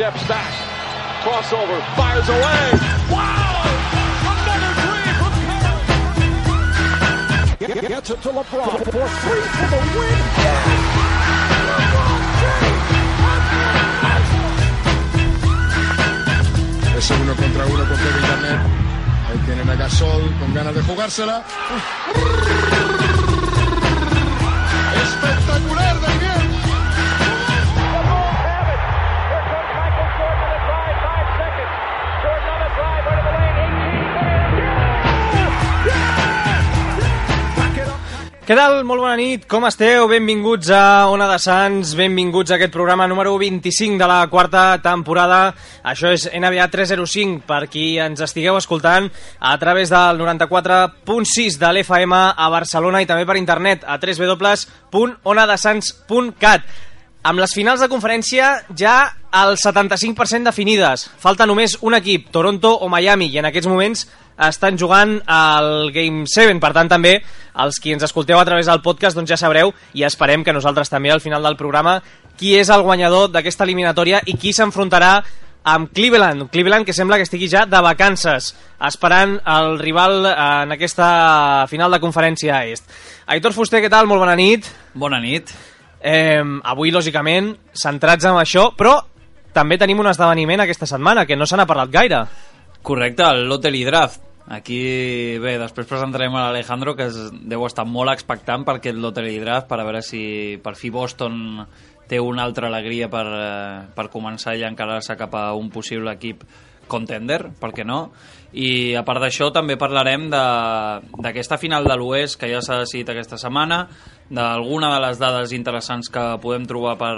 steps back. Crossover, fires away. Wow! Another three from Curry. Gets it to LeBron for three for the win. Ese 1 contra 1 con Kevin Garnett. Ahí tienen a Gasol con ganas de jugársela. Espectacular de bien. Què tal? Molt bona nit, com esteu? Benvinguts a Ona de Sants, benvinguts a aquest programa número 25 de la quarta temporada. Això és NBA 305, per qui ens estigueu escoltant a través del 94.6 de l'FM a Barcelona i també per internet a www.onadesans.cat. Amb les finals de conferència ja el 75% definides. Falta només un equip, Toronto o Miami, i en aquests moments estan jugant al Game 7, per tant també els qui ens escolteu a través del podcast doncs ja sabreu, i esperem que nosaltres també al final del programa, qui és el guanyador d'aquesta eliminatòria i qui s'enfrontarà amb Cleveland, que sembla que estigui ja de vacances, esperant el rival en aquesta final de conferència est. Aitor Fuster, què tal? Molt bona nit. Bona nit. Avui, lògicament, centrats en això, però també tenim un esdeveniment aquesta setmana que no se n'ha parlat gaire. Correcte, el Lottery Draft. Aquí, bé, després presentarem a l'Alejandro, que deu estar molt expectant per aquest Lottery Draft, per a veure si per fi Boston té una altra alegria per començar i encarar-se cap a un possible equip contender, per què no? I a part d'això també parlarem d'aquesta final de l'Oest que ja s'ha decidit aquesta setmana, d'alguna de les dades interessants que podem trobar per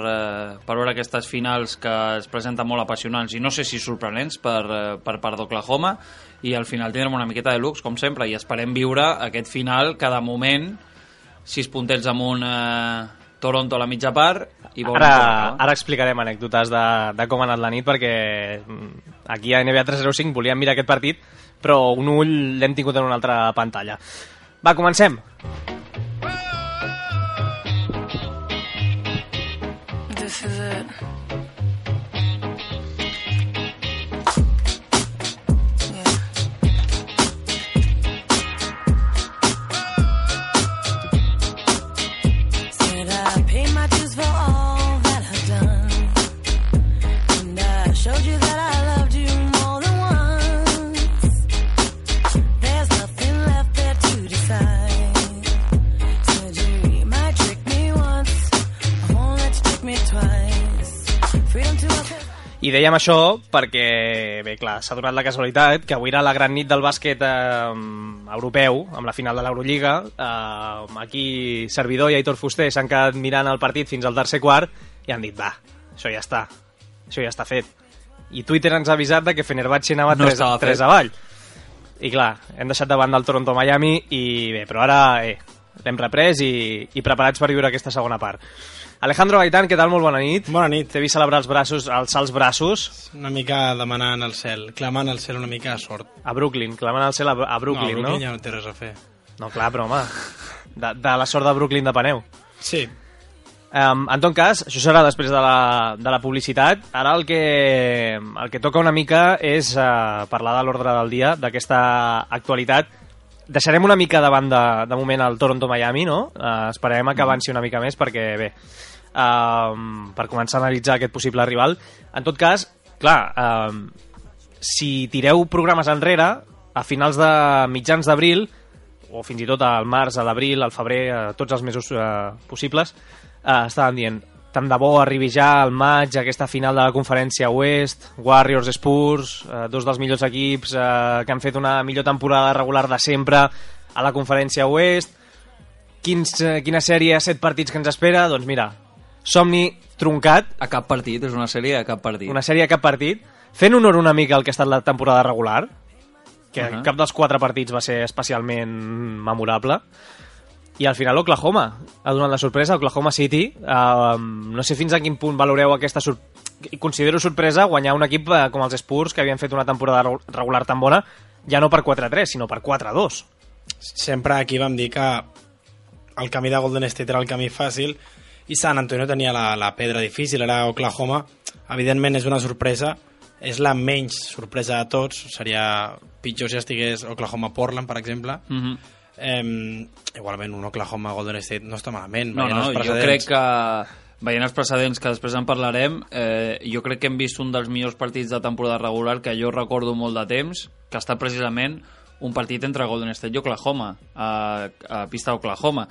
veure aquestes finals que es presenten molt apassionants i no sé si sorprenents per part d'Oklahoma, i al final tindrem una miqueta de lux, com sempre, i esperem viure aquest final que de moment 6 puntets amunt Toronto a la mitja part i ara explicarem anècdotes de com ha anat la nit, perquè aquí a NBA 305 volíem mirar aquest partit però un ull l'hem tingut en una altra pantalla. Va, comencem. This is it. I dèiem això perquè, bé, clar, s'ha donat la casualitat que avui era la gran nit del bàsquet europeu, amb la final de l'Eurolliga. Aquí Servidor i Aitor Fuster s'han quedat mirant el partit fins al tercer quart i han dit, va, això ja està fet. I Twitter ens ha avisat que Fenerbahçe anava 3 avall. I clar, hem deixat davant del Toronto-Miami i bé, però ara l'hem reprès i preparats per viure aquesta segona part. Alejandro Gaitán, què tal? Molt bona nit. Bona nit. T'he vist celebrar alçar els braços. Una mica demanant al cel, clamant al cel una mica de sort. A Brooklyn, clamant al cel a Brooklyn, no? A Brooklyn ja no té res a fer. No, clar, però home, de la sort de Brooklyn depeneu. Sí. En tot cas, això serà després de la publicitat. Ara el que toca una mica és parlar de l'ordre del dia, d'aquesta actualitat. Deixarem una mica davant de moment el Toronto-Miami, no? Esperarem que avanci una mica més perquè, bé, per començar a analitzar aquest possible rival. En tot cas, clar, si tireu programes enrere, a finals de mitjans d'abril, o fins i tot al març, a l'abril, al febrer, tots els mesos possibles, estaven dient, tant de bo arribi ja al maig aquesta final de la conferència Oest, Warriors, Spurs, dos dels millors equips que han fet una millor temporada regular de sempre a la conferència Oest. Quina sèrie a 7 partits que ens espera? Doncs mira, somni truncat. A cap partit, és una sèrie a cap partit. Una sèrie a cap partit, fent honor una mica al que ha estat la temporada regular, que cap dels 4 partits va ser especialment memorable. I al final Oklahoma ha donat la sorpresa, Oklahoma City. No sé fins a quin punt valoreu aquesta considero sorpresa guanyar un equip com els Spurs, que havien fet una temporada regular tan bona, ja no per 4-3, sinó per 4-2. Sempre aquí vam dir que el camí de Golden State era el camí fàcil i San Antonio tenia la pedra difícil. Ara Oklahoma evidentment és una sorpresa, és la menys sorpresa de tots, seria pitjor si estigués Oklahoma-Portland, per exemple. Igualment un Oklahoma-Golden State no està malament. No, jo crec que veient els precedents, que després en parlarem, jo crec que hem vist un dels millors partits de temporada regular que jo recordo molt de temps, que ha estat precisament un partit entre Golden State i Oklahoma, a pista d'Oklahoma.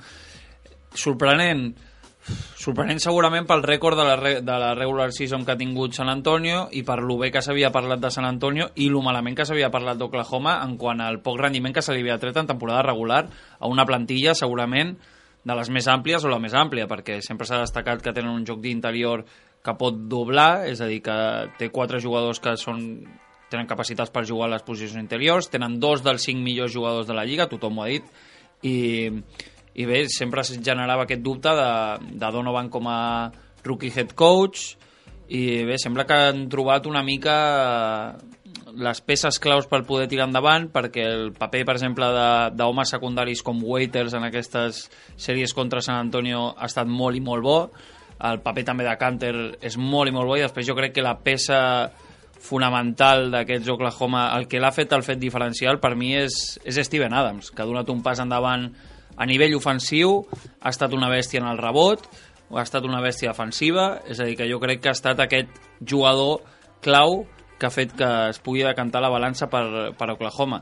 Sorprenent segurament pel rècord de la regular season que ha tingut San Antonio i per lo bé que s'havia parlat de San Antonio i lo malament que s'havia parlat d'Oklahoma en quant al poc rendiment que se li havia tret en temporada regular a una plantilla segurament de les més àmplies o la més àmplia, perquè sempre s'ha destacat que tenen un joc d'interior que pot doblar, és a dir, que té 4 jugadors que tenen capacitats per jugar a les posicions interiors, tenen 2 dels 5 millors jugadors de la Lliga, tothom ho ha dit, i bé, sempre es generava aquest dubte de Donovan com a rookie head coach, i bé, sembla que han trobat una mica les peces claus per poder tirar endavant, perquè el paper, per exemple, d'homes secundaris com Waiters en aquestes sèries contra San Antonio ha estat molt i molt bo, el paper també de Kanter és molt i molt bo, i després jo crec que la peça fonamental d'aquests Oklahoma, el que l'ha fet el fet diferencial per mi és Steven Adams, que ha donat un pas endavant a nivell ofensiu, ha estat una bèstia en el rebot, ha estat una bèstia defensiva, és a dir, que jo crec que ha estat aquest jugador clau que ha fet que es pugui decantar la balança per Oklahoma.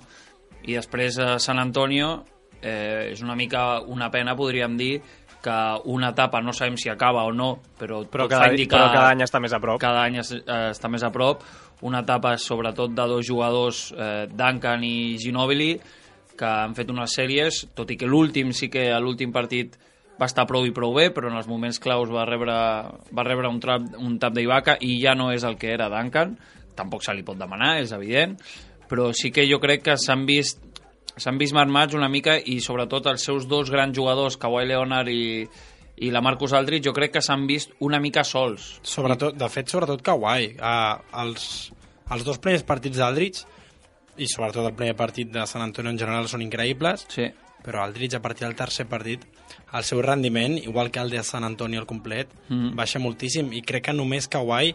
I després a San Antonio és una mica una pena, podríem dir, que una etapa no sabem si acaba o no, però cada any està més a prop. Cada any està més a prop. Una etapa sobretot de 2 jugadors, Duncan i Ginobili, que han fet unes sèries, tot i que l'últim partit va estar prou i prou bé, però en els moments claus va rebre un tap d'Ibaka i ja no és el que era Duncan. Tampoc se li pot demanar, és evident, però sí que jo crec que s'han vist marmats una mica, i sobretot els seus 2 grans jugadors, Kawhi Leonard i la Marcus Aldridge, jo crec que s'han vist una mica sols. Sobretot Kawhi. Els 2 primers partits d'Aldridge, i sobretot el primer partit de San Antonio en general, són increïbles, sí. Però Aldridge, a partir del tercer partit, el seu rendiment, igual que el de San Antonio al complet, baixa moltíssim, i crec que només Kawhi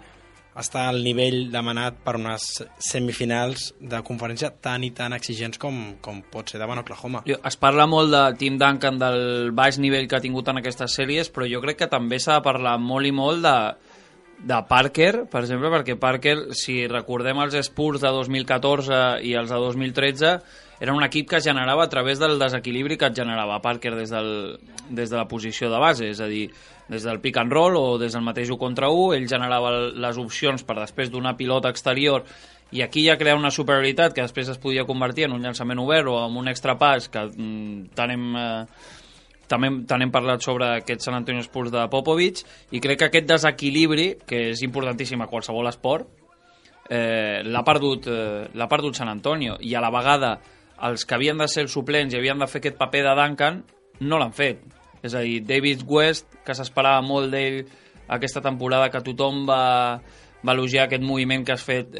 està al nivell demanat per unes semifinals de conferència tan i tan exigents com pot ser davant Oklahoma. Es parla molt de Tim Duncan, del baix nivell que ha tingut en aquestes sèries, però jo crec que també s'ha de parlar molt i molt de Parker, per exemple, perquè Parker, si recordem els Spurs de 2014 i els de 2013, era un equip que es generava a través del desequilibri que et generava Parker des de la posició de base, és a dir, des del pick and roll o des del mateix 1 contra 1, ell generava les opcions per després donar pilota exterior, i aquí ja crea una superioritat que després es podia convertir en un llançament obert o en un extra pas, que tant hem parlat sobre aquest San Antonio Spurs de Popovich, i crec que aquest desequilibri, que és importantíssim a qualsevol esport, l'ha perdut San Antonio, i a la vegada els que havien de ser els suplents i havien de fer aquest paper de Duncan no l'han fet. És a dir, David West, que s'esperava molt d'ell aquesta temporada, que tothom va elogiar aquest moviment que has fet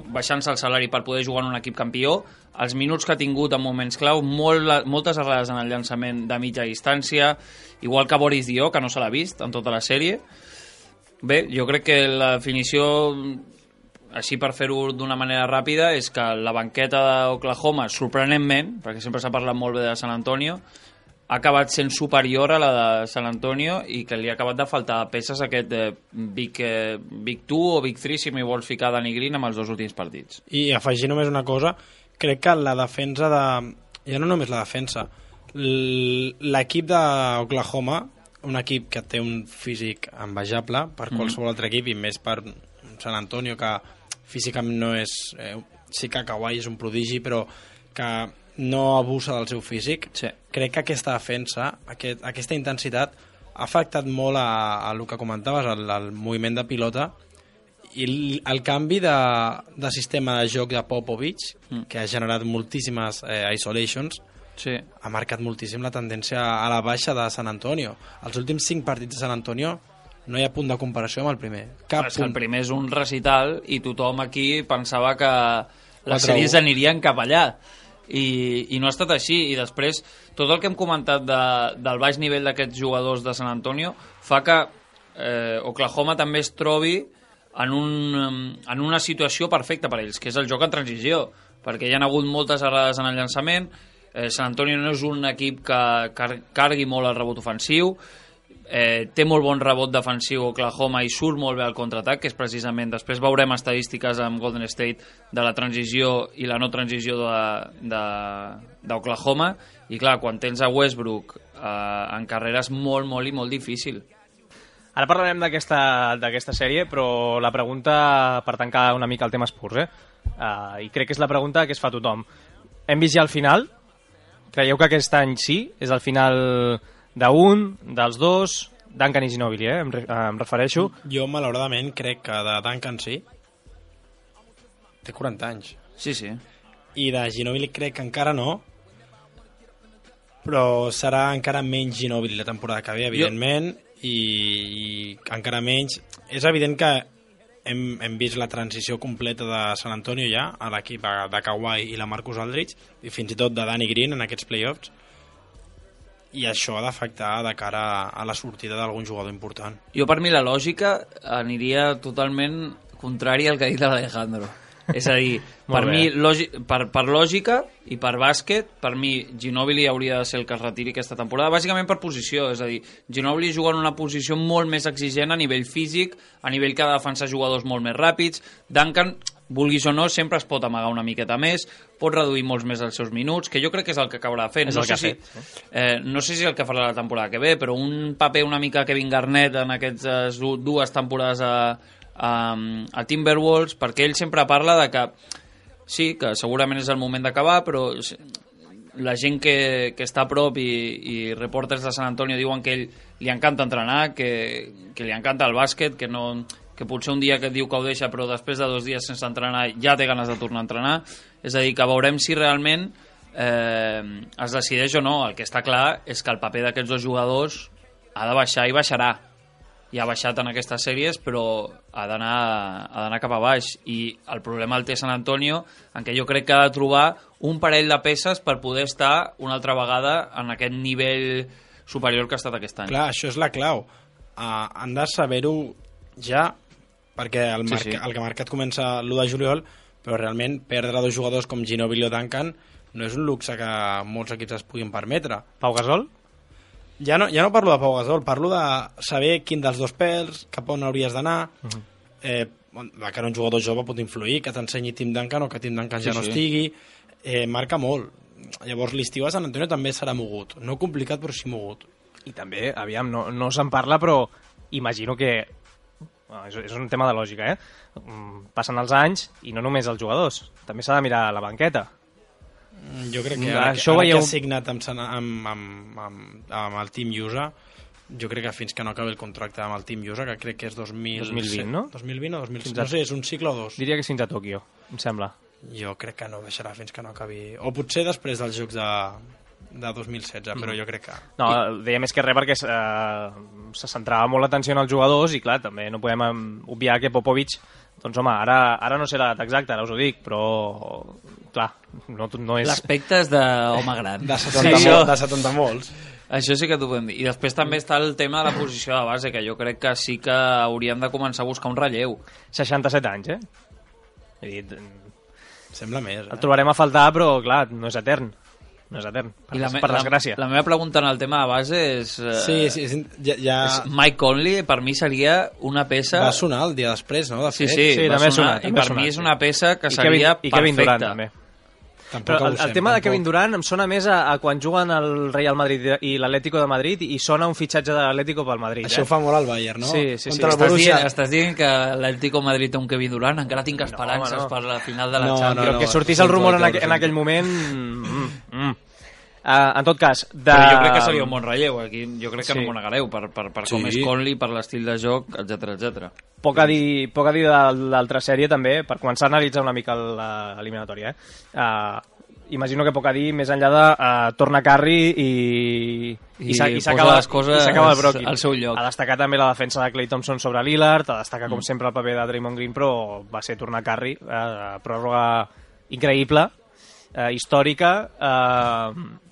baixant-se el salari per poder jugar en un equip campió, els minuts que ha tingut en moments clau, moltes errades en el llançament de mitja distància, igual que Boris Diaw, que no se l'ha vist en tota la sèrie. Bé, jo crec que la definició, així per fer-ho d'una manera ràpida, és que la banqueta d'Oklahoma, sorprenentment, perquè sempre s'ha parlat molt bé de San Antonio, ha acabat sent superior a la de San Antonio, i que li ha acabat de faltar peces aquest Big 2 o Big 3, si m'hi vols ficar Danny Green, amb els 2 últims partits. I afegir només una cosa, crec que la defensa ja no només la defensa, l'equip d'Oklahoma, un equip que té un físic envejable per qualsevol altre equip, i més per San Antonio, que físicament no és... sí que Kawhi és un prodigi, però que no abusa del seu físic. Sí. Crec que aquesta defensa, aquesta intensitat, ha afectat molt a el que comentaves, el moviment de pilota, i el canvi de sistema de joc de Popovich, que ha generat moltíssimes isolations, sí, ha marcat moltíssim la tendència a la baixa de San Antonio. Els últims 5 partits de San Antonio no hi ha punt de comparació amb el primer. El primer és un recital, i tothom aquí pensava que les sèries anirien cap allà, i no ha estat així. I després tot el que hem comentat del baix nivell d'aquests jugadors de San Antonio fa que Oklahoma també es trobi en una situació perfecta per ells, que és el joc en transició, perquè hi ha hagut moltes errades en el llançament. San Antonio no és un equip que cargui molt el rebot ofensiu, té molt bon rebot defensiu Oklahoma i surt molt bé al contraatac, que és precisament, després veurem estadístiques amb Golden State de la transició i la no transició d'Oklahoma, i clar, quan tens a Westbrook en carrera és molt, molt i molt difícil. Ara parlarem d'aquesta sèrie, però la pregunta, per tancar una mica el tema Spurs, i crec que és la pregunta que es fa tothom. Hem vist ja el final? Creieu que aquest any sí? És el final d'un, dels dos, Duncan i Ginobili, em refereixo. Jo, malauradament, crec que de Duncan sí. Té 40 anys. Sí, sí. I de Ginobili crec que encara no, però serà encara menys Ginobili la temporada que ve, evidentment, i encara menys. És evident que hem vist la transició completa de San Antonio ja, a l'equip de Kawhi i la Marcus Aldridge, i fins i tot de Danny Green en aquests playoffs, i això ha d'afectar de cara a la sortida d'algun jugador important. Jo, per mi, la lògica aniria totalment contrària al que ha dit l'Alejandro. És a dir, per mi, per lògica i per bàsquet, per mi Ginobili hauria de ser el que es retiri aquesta temporada, bàsicament per posició. És a dir, Ginobili juga en una posició molt més exigent a nivell físic, a nivell que ha de defensar jugadors molt més ràpids. Duncan, vulguis o no, sempre es pot amagar una miqueta més, pot reduir molts més els seus minuts, que jo crec que és el que acabarà fent. No sé si és el que farà la temporada que ve, però un paper una mica Kevin Garnett en aquestes dues temporades a Timberwolves, perquè ell sempre parla de que sí, que segurament és el moment d'acabar, però la gent que està a prop i reporters de San Antonio diuen que ell li encanta entrenar, que li encanta el bàsquet, que potser un dia que et diu que ho deixa, però després de 2 dies sense entrenar ja té ganes de tornar a entrenar. És a dir, que veurem si realment es decideix o no. El que està clar és que el paper d'aquests dos jugadors ha de baixar i baixarà. Ja ha baixat en aquestes sèries, però ha d'anar cap a baix. I el problema el té San Antonio, en què jo crec que ha de trobar un parell de peces per poder estar una altra vegada en aquest nivell superior que ha estat aquest any. Clar, això és la clau. Han de saber-ho ja, perquè el mercat comença l'1 de juliol, però realment perdre 2 jugadors com Ginobili o Duncan no és un luxe que molts equips es puguin permetre. Pau Gasol? Ja no parlo de Pau Gasol, parlo de saber quin dels dos pèls, cap on hauries d'anar. De cara a un jugador jove pot influir, que t'ensenyi Tim Duncan o que Tim Duncan ja no estigui. Marca molt. Llavors l'estiu a San Antonio també serà mogut. No complicat, però sí mogut. I també, aviam, no se'n parla, però imagino que és un tema de lògica, passen els anys i no només els jugadors, també s'ha de mirar la banqueta. Jo crec que ara que ha signat amb el Team USA, jo crec que fins que no acabi el contracte amb el Team USA, que crec que és 2020, no? 2020 o 2020, no sé, és un cicle o 2. Diria que fins a Tòquio, em sembla. Jo crec que no baixarà fins que no acabi, o potser després dels Jocs de 2016, però jo crec que... No, deia més que res perquè se centrava molt l'atenció en els jugadors i clar, també no podem obviar que Popovich, doncs home, ara no sé l'edat exacta, ara us ho dic, però clar, no és... L'aspecte és d'home gran. De 70 molts. Això sí que t'ho podem dir. I després també està el tema de la posició de base, que jo crec que sí que hauríem de començar a buscar un relleu. 67 anys, He dit... Sembla més, El trobarem a faltar, però clar, no és etern. No és etern, per desgràcia. La meva pregunta en el tema de base és... Sí, ja... Mike Conley, per mi, seria una peça... Va sonar el dia després, no? Sí, va sonar. I per mi és una peça que seria perfecta. I Kevin Durant, també. Però el tema de Kevin Durant em sona més a quan juguen el Real Madrid i l'Atlético de Madrid i sona un fitxatge de l'Atlético pel Madrid. Això fa molt al Bayern, no? Sí. Estàs dient que l'Atlético de Madrid té un Kevin Durant? Encara tinc esperances per la final de la Champions. Però que sortís el rumor en aquell moment... En tot cas... Però jo crec que seria un bon relleu. Aquí jo crec que no m'ho negareu per com és Conley, per l'estil de joc, etc. Poc a dir de l'altra sèrie també, per començar a analitzar una mica l'eliminatòria. Imagino que poc a dir més enllà de torna Curry i s'acaba el Brooklyn. Al seu lloc. A destacar també la defensa de Klay Thompson sobre Lillard, a destacar com sempre el paper de Draymond Green, però va ser tornar Curry, pròrroga increïble. històrica,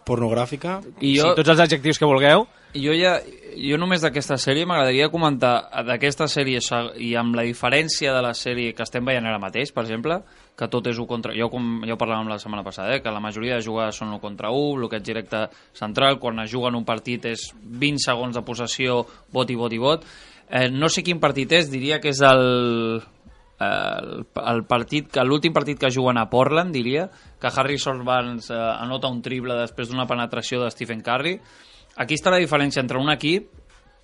pornogràfica. I sí, tots els adjectius que vulgueu. Jo només d'aquesta sèrie m'agradaria comentar d'aquesta sèrie i amb la diferència de la sèrie que estem veient ara mateix, per exemple, que tot és 1 contra... Ja ho parlàvem la setmana passada, que la majoria de jugades són 1 contra 1, bloqueig directe central, quan es juga en un partit és 20 segons de possessió, vot i vot i vot. No sé quin partit és, diria que és l'últim partit que juguen a Portland, diria, que Harrison Barnes anota un triple després d'una penetració de Stephen Curry. Aquí està la diferència entre un equip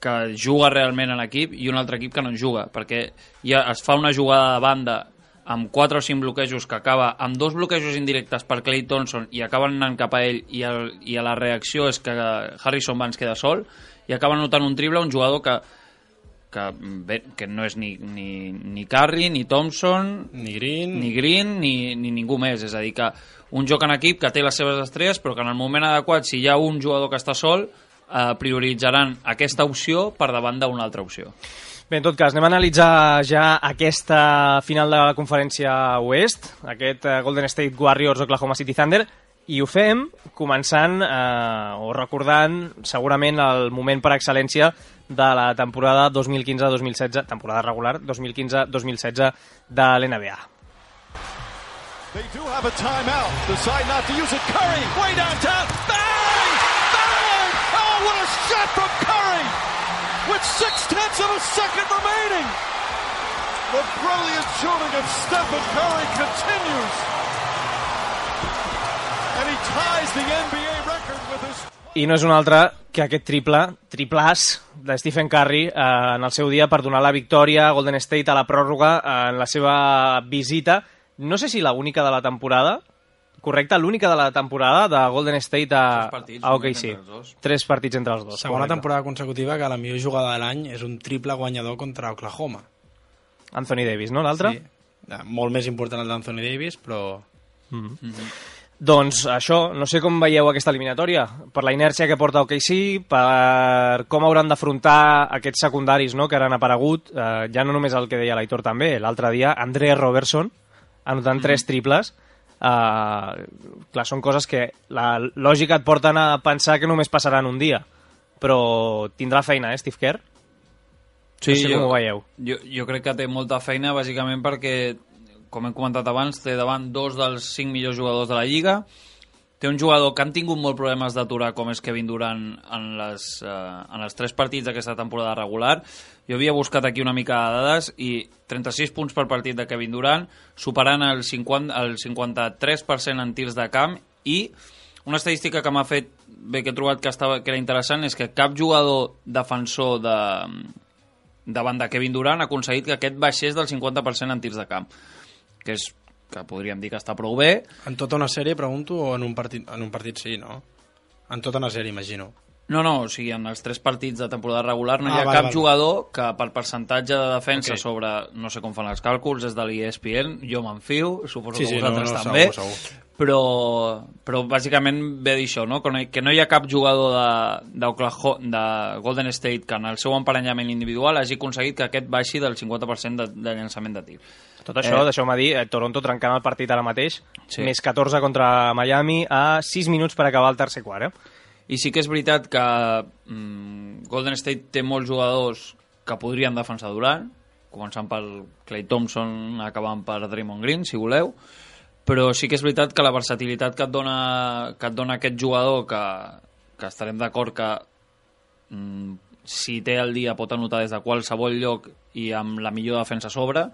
que juga realment en equip i un altre equip que no en juga, perquè ja es fa una jugada de banda amb 4 o 5 bloquejos que acaba amb 2 bloquejos indirectes per Klay Thompson i acaben anant cap a ell i la reacció és que Harrison Barnes queda sol i acaba notant un triple un jugador que no és ni Curry, ni Thompson, ni Green, ni ningú més. És a dir, que un joc en equip que té les seves estrelles, però que en el moment adequat, si hi ha un jugador que està sol, prioritzaran aquesta opció per davant d'una altra opció. Bé, en tot cas, anem a analitzar ja aquesta final de la conferència oest, aquest Golden State Warriors Oklahoma City Thunder, i ho fem començant o recordant segurament el moment per excel·lència de la temporada 2015-2016, temporada regular 2015-2016 de l'NBA. They do have a timeout. Decide not to use it. Curry, way downtown. Bang! Bang! Oh, what a shot from Curry! With 0.6 of a second remaining. The brilliant shooting of Stephen Curry continues. And he ties the NBA record with his... I no és un altre que aquest triplàs de Stephen Curry en el seu dia per donar la victòria a Golden State a la pròrroga en la seva visita. No sé si l'única de la temporada, correcte, l'única de la temporada de Golden State a OKC. 3 partits entre els dos. Segona temporada consecutiva que la millor jugada de l'any és un triple guanyador contra Oklahoma. Anthony Davis, no, l'altre? Sí, molt més important el d'Anthony Davis, però... Doncs això, no sé com veieu aquesta eliminatòria, per la inèrcia que porta OKC, per com hauran d'afrontar aquests secundaris, no?, que han aparegut, ja no només el que deia l'Aitor també, l'altre dia, Andre Robertson, anotant 3 triples. Clar, són coses que la lògica et porten a pensar que només passaran un dia, però tindrà feina, Steve Kerr? Sí, no sé com ho veieu. Jo crec que té molta feina, bàsicament perquè, com hem comentat abans, té davant 2 dels 5 millors jugadors de la Lliga. Té un jugador que han tingut molts problemes d'aturar, com és Kevin Durant, en els 3 partits d'aquesta temporada regular. Jo havia buscat aquí una mica de dades i 36 punts per partit de Kevin Durant, superant el 53% en tirs de camp, i una estadística que m'ha fet bé, que he trobat que era interessant, és que cap jugador defensor davant de Kevin Durant ha aconseguit que aquest baixés del 50% en tirs de camp, que podríem dir que està prou bé. En tota una sèrie, pregunto, o en un partit sí, no? En tota una sèrie, imagino. No, o sigui, en els 3 partits de temporada regular no hi ha cap jugador que per percentatge de defensa sobre, no sé com fan els càlculs, és de l'ESPN, jo m'enfio, suposo que vosaltres també, però bàsicament ve d'això, no? Que no hi ha cap jugador de Golden State que en el seu emparellament individual hagi aconseguit que aquest baixi del 50% de llançament de tir. Tot això, deixeu-me dir, Toronto trencant el partit ara mateix, més 14 contra Miami a 6 minuts per acabar el tercer quart, I sí que és veritat que Golden State té molts jugadors que podrien defensar Durant, començant per Klay Thompson, acabant per Draymond Green, si voleu, però sí que és veritat que la versatilitat que et dona aquest jugador, que estarem d'acord que si té el dia pot anotar des de qualsevol lloc i amb la millor defensa a sobre,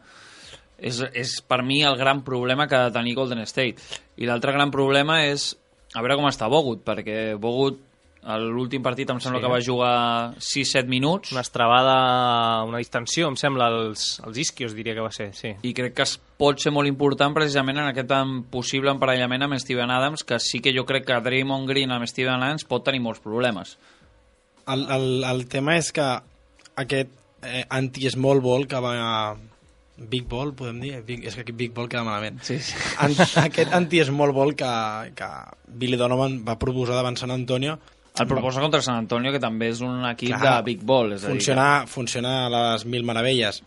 és per mi el gran problema que ha de tenir Golden State. I l'altre gran problema és a veure com està Bogut, perquè Bogut l'últim partit em sembla que va jugar 6-7 minuts. Una estrabada, una distensió, em sembla, als isquios, diria que va ser, sí. I crec que pot ser molt important precisament en aquest possible emparellament amb Steven Adams, que sí que jo crec que Draymond Green amb Steven Adams pot tenir molts problemes. El tema és que aquest anti-small ball que va... Big Ball, podem dir? És que aquí Big Ball queda malament. Sí. Aquest anti-small ball que Billy Donovan va proposar davant San Antonio. El proposa contra San Antonio, que també és un equip de Big Ball. És funciona a les mil meravelles.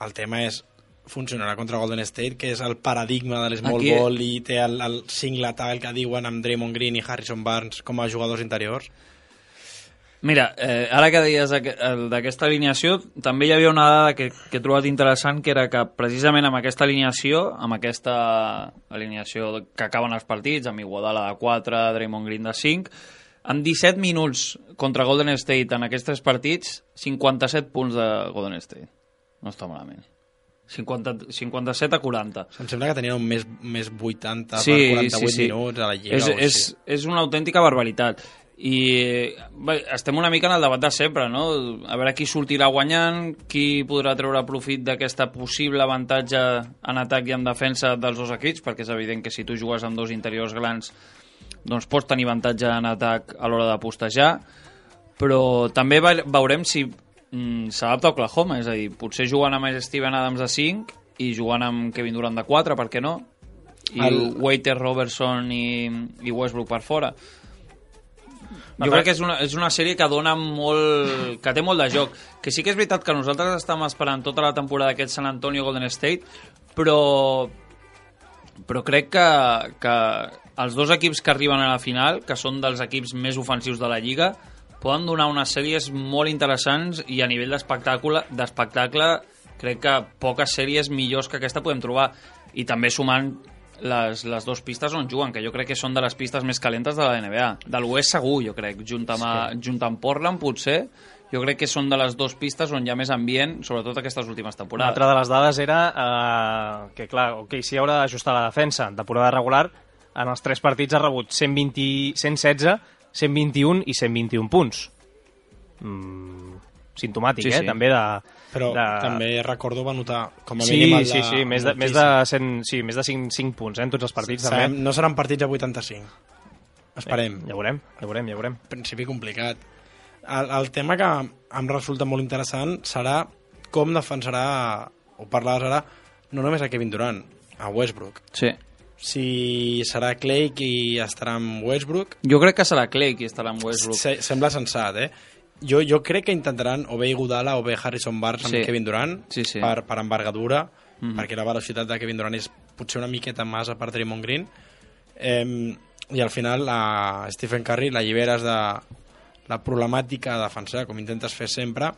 El tema és funcionarà contra Golden State, que és el paradigma de l'small ball i té el single tall que diuen amb Draymond Green i Harrison Barnes com a jugadors interiors. Mira, ara que deies d'aquesta alineació, també hi havia una dada que he trobat interessant, que era que precisament amb aquesta alineació que acaben els partits, amb Iguodala de 4, Draymond Green de 5, en 17 minuts contra Golden State en aquests 3 partits, 57 punts de Golden State. No està malament. 57 a 40. Em sembla que tenien un més 80 per 48 minuts a la Lliga. És una autèntica barbaritat. I bé, estem una mica en el debat de sempre, no? A veure qui sortirà guanyant, qui podrà treure profit d'aquesta possible avantatge en atac i en defensa dels dos equips, perquè és evident que si tu jugues amb dos interiors grans doncs pots tenir avantatge en atac a l'hora de postejar, però també veurem si s'adapta a Oklahoma, és a dir, potser jugant amb Steven Adams de 5 i jugant amb Kevin Durant de 4, per què no? I Waiter, Robertson i Westbrook per fora. Jo crec que és una sèrie que dona molt, que té molt de joc, que sí que és veritat que nosaltres estem esperant tota la temporada aquest San Antonio Golden State, però crec que els dos equips que arriben a la final, que són dels equips més ofensius de la Lliga, poden donar unes sèries molt interessants, i a nivell d'espectacle crec que poques sèries millors que aquesta podem trobar, i també sumant les dues pistes on juguen, que jo crec que són de les pistes més calentes de la NBA. De l'Oest segur, jo crec, junt amb Portland, potser, jo crec que són de les dues pistes on hi ha més ambient, sobretot aquestes últimes temporades. Una altra de les dades era que, clar, si haurà d'ajustar la defensa en temporada regular, en els 3 partits ha rebut 116, 121 i 121 punts. Simptomàtic, sí. També Però també recordo va notar com a mínim més de 5 punts en tots els partits. També. No seran partits a 85. Esperem. Ja veurem. Principi complicat. El tema que em resulta molt interessant serà com defensarà, o parlaves ara, no només a Kevin Durant, a Westbrook. Sí. Si serà Clay qui estarà amb Westbrook. Jo crec que serà Clay qui estarà amb Westbrook. Sembla sensat, Jo crec que intentaran o bé Iguodala o bé Harrison Barnes amb Kevin Durant per envergadura, perquè la velocitat de Kevin Durant és potser una miqueta massa per Draymond Green, i al final a Stephen Curry l'alliberes de la problemàtica de defensar, com intentes fer sempre,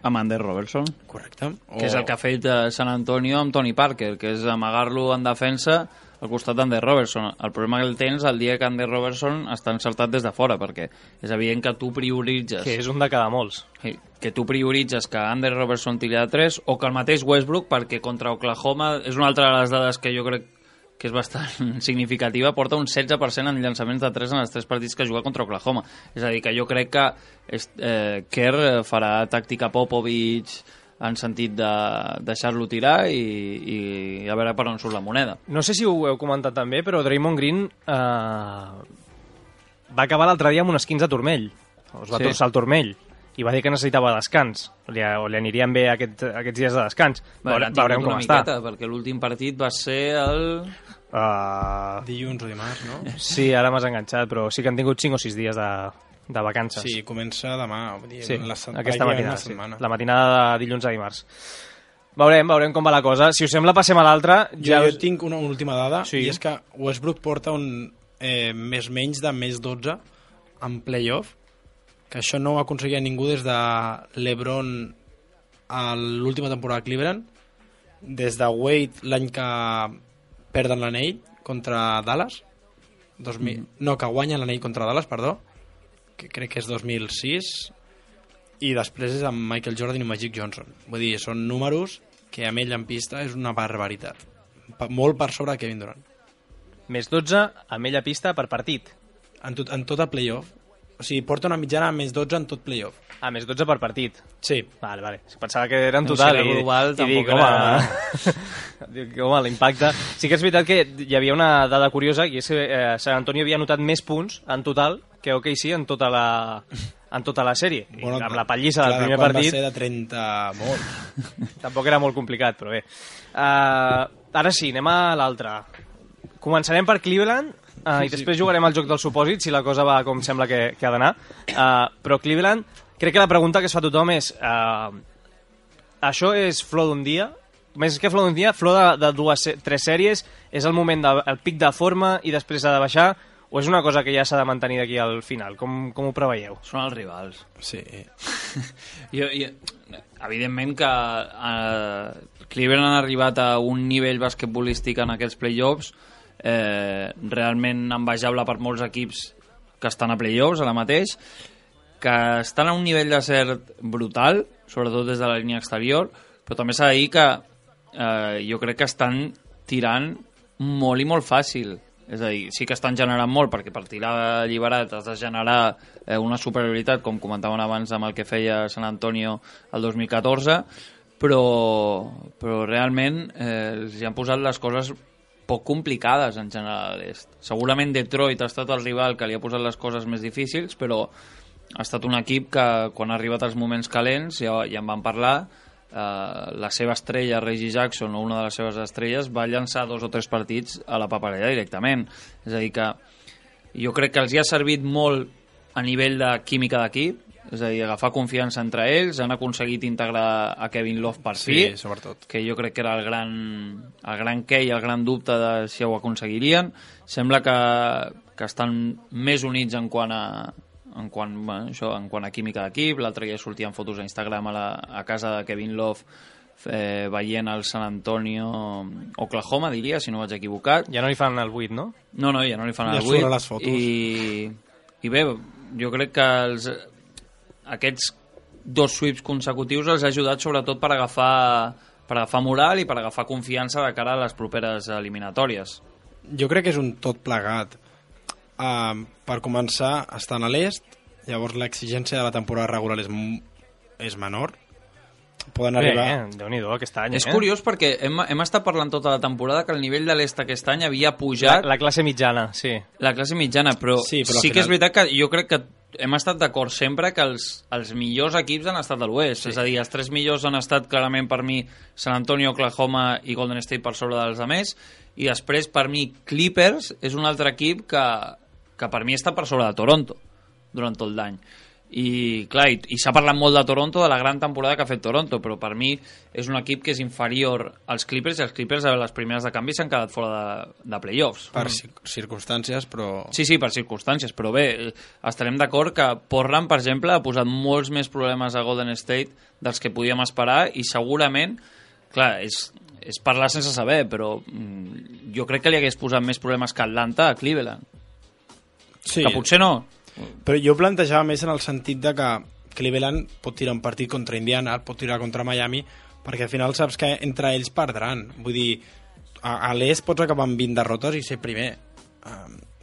amb Andre Robertson. Correcte. Que és el que ha fet San Antonio amb Tony Parker, que és amagar-lo en defensa al costat d'Ander Robertson. El problema que el tens el dia que Ander Robertson està encertat des de fora, perquè és evident que tu prioritzes... Que és un de cada molts. Que tu prioritzes que Ander Robertson tiri de 3, o que el mateix Westbrook, perquè contra Oklahoma, és una altra de les dades que jo crec que és bastant significativa, porta un 16% en llançaments de 3 en els 3 partits que juga contra Oklahoma. És a dir, que jo crec que Kerr farà tàctica Popovich en sentit de deixar-lo tirar i a veure per on surt la moneda. No sé si ho heu comentat també, però Draymond Green va acabar l'altre dia amb un esquins de turmell. Es va torçar el turmell i va dir que necessitava descans, o li anirien bé aquests dies de descans. Veurem com està. Perquè l'últim partit va ser el... dilluns o dimarts, no? Sí, ara m'has enganxat, però sí que han tingut 5 o 6 dies de vacances. Sí, comença demà, aquesta matinada, la matinada de dilluns a dimarts. Veurem com va la cosa. Si us sembla, passem a l'altra. Jo tinc una última dada, i és que Westbrook porta un més 12 en playoff, que això no ho aconseguia ningú des de LeBron a l'última temporada a Cleveland, des de Wade l'any que perden l'anell contra Dallas, que guanyen l'anell contra Dallas, perdó, que crec que és 2006, i després és amb Michael Jordan i Magic Johnson. Vull dir, són números que amb ell en pista és una barbaritat. Molt per sobre de Kevin Durant. Més 12 amb ell a pista per partit. En tot el playoff. O sigui, porta una mitjana més 12 en tot playoff. Més 12 per partit. Sí. Vale. Pensava que era en total. No, si era global, tampoc era... Home, l'impacte... Sí que és veritat que hi havia una dada curiosa, i és que San Antonio havia anotat més punts en total que OKC en tota la sèrie. Bueno, amb la pallissa del primer partit... va ser de 30 molt. Tampoc era molt complicat, però bé. Ara sí, anem a l'altre. Començarem per Cleveland, i després jugarem al joc del supòsit, si la cosa va com sembla que ha d'anar. Però Cleveland, crec que la pregunta que es fa tothom és això és flor d'un dia més que flor d'un dia, flor de 2-3 sèries, és el moment del pic de forma i després ha de baixar, o és una cosa que ja s'ha de mantenir d'aquí al final? Com ho preveieu? Són els rivals. Sí. Evidentment que Cleveland han arribat a un nivell basquetbolístic en aquests playoffs realment envejable per molts equips que estan a playoffs ara mateix, que estan a un nivell de cert brutal, sobretot des de la línia exterior, però també s'ha de dir que jo crec que estan tirant molt i molt fàcil. És a dir, sí que estan generant molt, perquè per tirar alliberat has de generar una superioritat, com comentaven abans amb el que feia San Antonio el 2014, però realment els hi han posat les coses poc complicades en general a l'est. Segurament Detroit ha estat el rival que li ha posat les coses més difícils, però ha estat un equip que quan ha arribat als moments calents, ja en van parlar, la seva estrella, Reggie Jackson, o una de les seves estrelles, va llançar 2 o 3 partits a la paperera directament. És a dir que jo crec que els hi ha servit molt a nivell de química d'equip, és a dir, agafar confiança entre ells, han aconseguit integrar a Kevin Love per fi, Sí, sobretot. que jo crec que era el gran què i el gran dubte de si ho aconseguirien. Sembla que estan més units en quant a química d'equip. L'altre dia sortien fotos a Instagram a casa de Kevin Love veient el San Antonio Oklahoma, diria, si no vaig equivocat. Ja no li fan el 8, no? No, ja no li fan Ja el surt 8. a les fotos. I bé, jo crec que aquests 2 sweeps consecutius els ha ajudat sobretot per agafar moral i per agafar confiança de cara a les properes eliminatòries. Jo crec que és un tot plegat. Per començar, estan a l'est, llavors l'exigència de la temporada regular és menor. Poden arribar... Déu-n'hi-do aquest any. És curiós perquè hem estat parlant tota la temporada que el nivell de l'est aquest any havia pujat La classe mitjana, sí. la classe mitjana, però Sí, però al sí que és final- veritat que jo crec que hem estat d'acord sempre que els millors equips han estat de l'oest, sí. És a dir, els 3 millors han estat clarament per mi San Antonio, Oklahoma i Golden State per sobre dels altres, i després per mi Clippers és un altre equip que per mi està per sobre de Toronto durant tot l'any. I clar, i s'ha parlat molt de Toronto, de la gran temporada que ha fet Toronto, però per mi és un equip que és inferior als Clippers, i els Clippers a les primeres de canvi s'han quedat fora de playoffs. Per circumstàncies, però... Sí, per circumstàncies, però bé, estarem d'acord que Portland, per exemple, ha posat molts més problemes a Golden State dels que podíem esperar, i segurament, clar, és parlar sense saber, però jo crec que li hagués posat més problemes que Atlanta a Cleveland. Sí, Que potser no. però jo plantejava més en el sentit de que Cleveland pot tirar un partit contra Indiana, pot tirar contra Miami, perquè al final saps que entre ells perdran. Vull dir, a l'est pots acabar amb 20 derrotes i ser primer.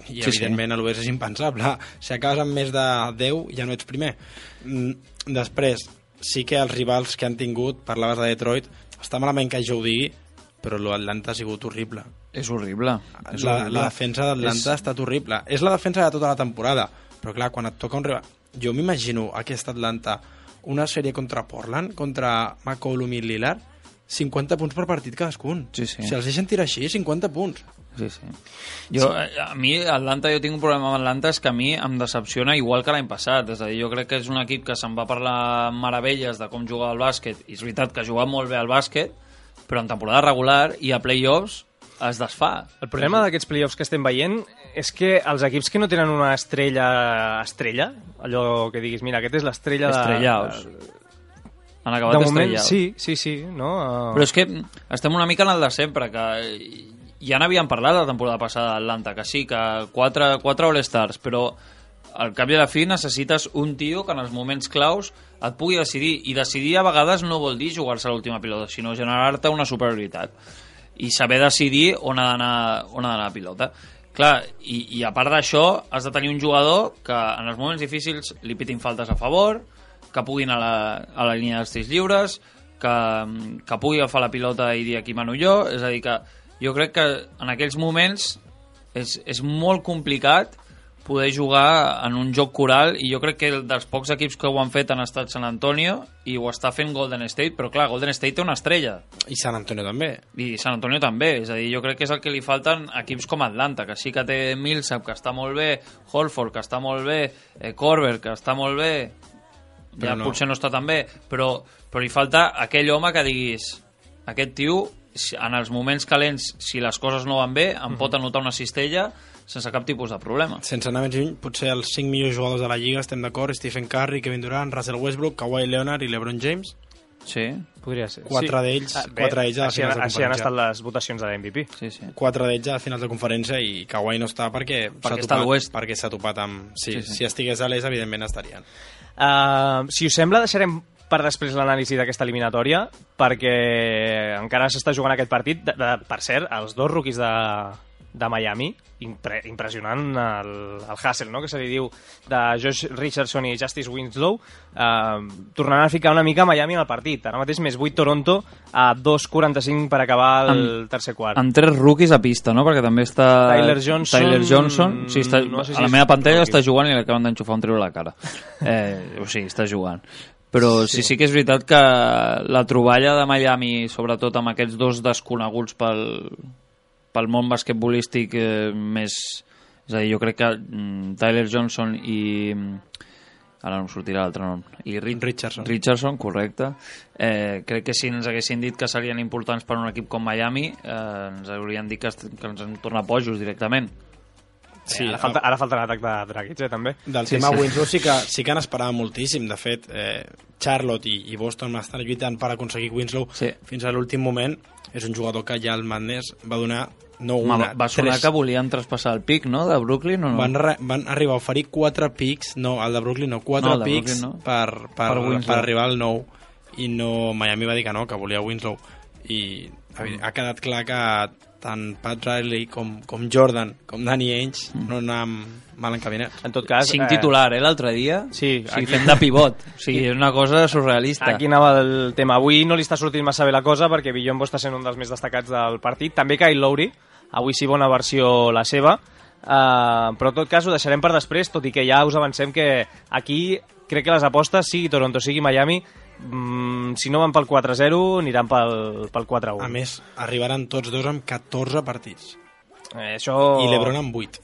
I Sí, evidentment a l'oest és impensable. Si acabes amb més de 10 ja no ets primer. Després, sí que els rivals que han tingut, parlaves de Detroit, està malament que jo ho digui, però l'Atlanta ha sigut horrible. És horrible. La defensa d'Atlanta ha estat horrible. És la defensa de tota la temporada, però clar, quan et toca un rival... Jo m'imagino aquesta Atlanta, una sèrie contra Portland, contra McCollum i Lillard, 50 punts per partit cadascun. Sí. Si els deixen tirar així, 50 punts. Sí. A mi, Atlanta, jo tinc un problema amb Atlanta, és que a mi em decepciona igual que l'any passat. És a dir, jo crec que és un equip que se'n va parlar meravelles de com jugar al bàsquet, i és veritat que ha jugat molt bé al bàsquet, però en temporada regular i a playoffs es desfà. El problema d'aquests playoffs que estem veient és que els equips que no tenen una estrella, allò que diguis, mira, aquest és l'estrella Estrellaus. Han de acabat moment, estrellaus. sí, no? Però és que estem una mica en el de sempre, que ja n'havíem parlat la temporada passada d'Atlanta, que sí, que 4 All-Stars, però al cap i a la fi necessites un tio que en els moments claus et pugui decidir, i decidir a vegades no vol dir jugar-se a l'última pilota, sinó generar-te una superioritat i saber decidir on ha d'anar la pilota. Clar, i a part d'això has de tenir un jugador que en els moments difícils li pitin faltes a favor, que pugui anar a la línia dels tirs lliures, que pugui agafar la pilota i dir aquí mano jo. És a dir, que jo crec que en aquells moments és molt complicat poder jugar en un joc coral, i jo crec que dels pocs equips que ho han fet han estat San Antonio, i ho està fent Golden State, però clar, Golden State té una estrella. I San Antonio també. I San Antonio també, és a dir, jo crec que és el que li falten equips com Atlanta, que sí que té Millsap, que està molt bé, Horford, que està molt bé, Korver, que està molt bé, Però ja no. potser no està tan bé, però li falta aquell home que diguis aquest tio, en els moments calents, si les coses no van bé, em pot anotar una cistella sense cap tipus de problema. Sense anar més lluny, potser els 5 millors jugadors de la Lliga, estem d'acord, Stephen Curry, Kevin Durant, Russell Westbrook, Kawhi Leonard i LeBron James. Sí. Podria ser. Quatre d'ells a les finals de conferència. Així han estat les votacions de l'MVP. Sí, sí. 4 d'ells a finals de conferència i Kawhi no està perquè està a l'oest. perquè s'ha topat amb... Sí, si estigués a l'est, evidentment estarien. Si us sembla, deixarem per després l'anàlisi d'aquesta eliminatòria, perquè encara s'està jugant aquest partit. Per cert, els dos rookies de Miami, impressionant el hustle, no?, que se li diu, de Josh Richardson i Justice Winslow, tornaran a ficar una mica Miami en el partit. Ara mateix més 8 Toronto a 2:45 per acabar el tercer quart. Amb 3 rookies a pista, no?, perquè també està Tyler Johnson. Sí, està, no sé si a la meva pantalla està jugant i l'acaben d'enxufar un trio a la cara. O sigui, està jugant. Però sí que és veritat que la troballa de Miami, sobretot amb aquests dos desconeguts pel món basquetbolístic més... És a dir, jo crec que Tyler Johnson i... Ara no em sortirà l'altre nom. I Richardson, correcte. Crec que si ens haguessin dit que serien importants per un equip com Miami, ens haurien dit que ens en torna pojos directament. Sí, ara falta l'atac de Dragic, també. Del tema Winslow sí que n'esperava moltíssim. De fet, Charlotte i Boston estan lluitant per aconseguir Winslow fins a l'últim moment. És un jugador que ja el Madness va donar va sonar que volien traspassar el pic, no?, de Brooklyn, o no? Van arribar a oferir 4 pics, no, el de Brooklyn no, 4 pics per arribar al 9, i no, Miami va dir que no, que volia Winslow, i ha quedat clar que tant Pat Riley com Jordan, com Danny Ainge no anaven mal encaminats. En tot cas... 5 titular, l'altre dia? Sí, fent de pivot. O sigui, és una cosa surrealista. Aquí anava el tema. Avui no li està sortint massa bé la cosa perquè Biyombo està sent un dels més destacats del partit. També Kyle Lowry, avui sí bona versió la seva, però en tot cas ho deixarem per després, tot i que ja us avancem que aquí crec que les apostes, sigui Toronto, sigui Miami, si no van pel 4-0 aniran pel 4-1. A més, arribaran tots dos amb 14 partits. Això... I l'Ebron amb 8.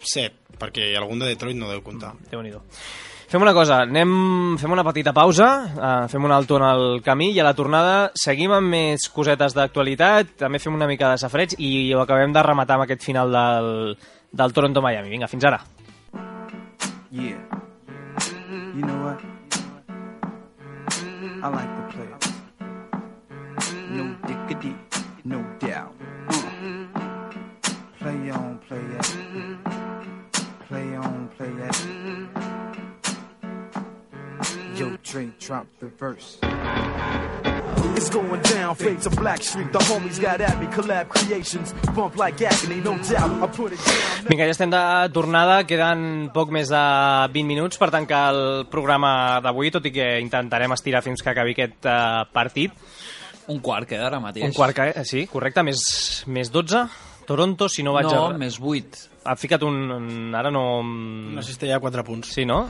7, perquè algun de Detroit no deu comptar. Déu-n'hi-do. Fem una cosa, fem una petita pausa, fem un alto en el camí i a la tornada seguim amb més cosetes d'actualitat, també fem una mica de safreig i ho acabem de rematar amb aquest final del Toronto-Miami. Vinga, fins ara. Yeah. You know what? I like the play. No diggity, no doubt. Play on, play it. Play on, play it. Yo, Dre, drop the verse. It's going down, fade to Black Street. The homies got at me, collab creations. Bump like agony, no doubt. I put it down. Vinga, ja estem de tornada. Queden poc més de 20 minuts per tancar el programa d'avui, tot i que intentarem estirar fins que acabi aquest partit. Un quart queda ara mateix. Un quart, sí, correcte. Més 12. Toronto, si no vaig... No, més 8. Ha ficat ara no... Una cistella de 4 punts. Sí, no?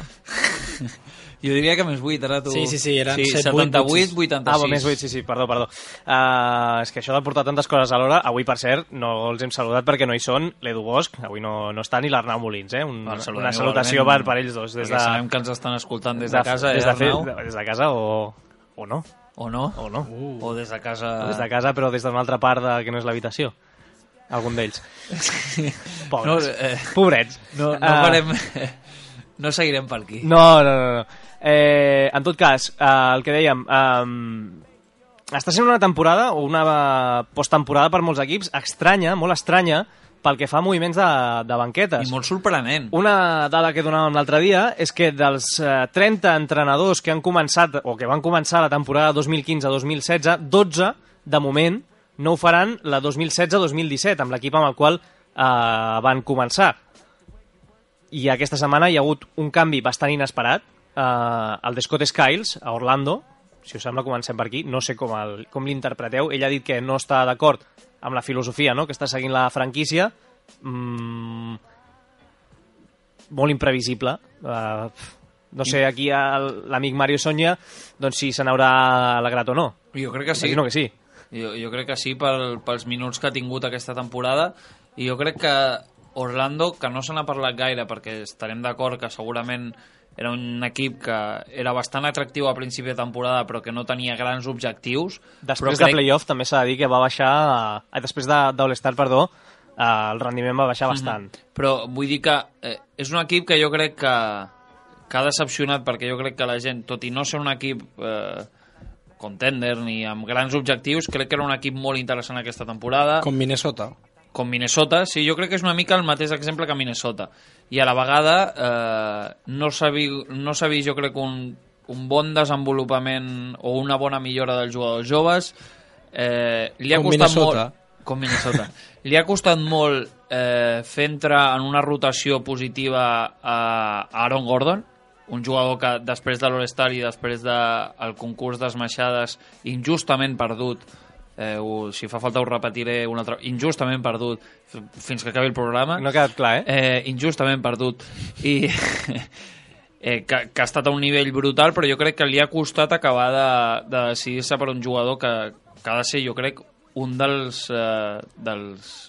Jo diria que més 8, ara tu... Sí, eren 78, 86. Més 8, sí, perdó. És que això de portar tantes coses alhora, avui, per cert, no els hem saludat perquè no hi són, l'Edu Bosch, avui no està, ni l'Arnau Molins, una salutació per ells dos. Sabem que ens estan escoltant des de casa, Arnau? Des de casa o no. O no? O des de casa... Des de casa, però des d'una altra part que no és l'habitació. Algun d'ells. Pobres. Pobrets. No farem... No seguirem per aquí. No. En tot cas, el que dèiem, està sent una temporada o una posttemporada per molts equips estranya, molt estranya, pel que fa a moviments de banquetes. I molt sorprenent. Una dada que donàvem l'altre dia és que dels 30 entrenadors que han començat o que van començar la temporada 2015-2016, 12, de moment, no ho faran la 2016-2017, amb l'equip amb el qual van començar. I aquesta setmana hi ha hagut un canvi bastant inesperat, el de Scott Skiles a Orlando. Si us sembla, comencem per aquí. No sé com l'interpreteu. Ell ha dit que no està d'acord amb la filosofia, no?, que està seguint la franquícia. Molt imprevisible. No sé, aquí l'amic Mario Sonia, doncs si se n'haurà alegrat o no. Jo crec que sí. Imagino que sí. Jo crec que sí, pels minuts que ha tingut aquesta temporada. I jo crec que Orlando, que no se n'ha parlat gaire, perquè estarem d'acord que segurament era un equip que era bastant atractiu a principi de temporada però que no tenia grans objectius. Després de playoff també s'ha de dir que va baixar, després d'All-Star, perdó, el rendiment va baixar bastant. Però vull dir que és un equip que jo crec que ha decepcionat, perquè jo crec que la gent, tot i no ser un equip contender ni amb grans objectius, crec que era un equip molt interessant aquesta temporada. Com Minnesota. Com Minnesota, sí, jo crec que és una mica el mateix exemple que Minnesota. I a la vegada no s'ha vist, jo crec, un bon desenvolupament o una bona millora dels jugadors joves. Li ha costat Minnesota. molt, com Minnesota. Li ha costat molt fer entrar en una rotació positiva a Aaron Gordon, un jugador que després de l'All-Star i després del concurs d'esmaixades injustament perdut, si fa falta ho repetiré un altre, injustament perdut fins que acabi el programa. No ha quedat clar, injustament perdut i que ha estat a un nivell brutal, però jo crec que li ha costat acabar de decidir-se per un jugador que ha de ser, jo crec, un dels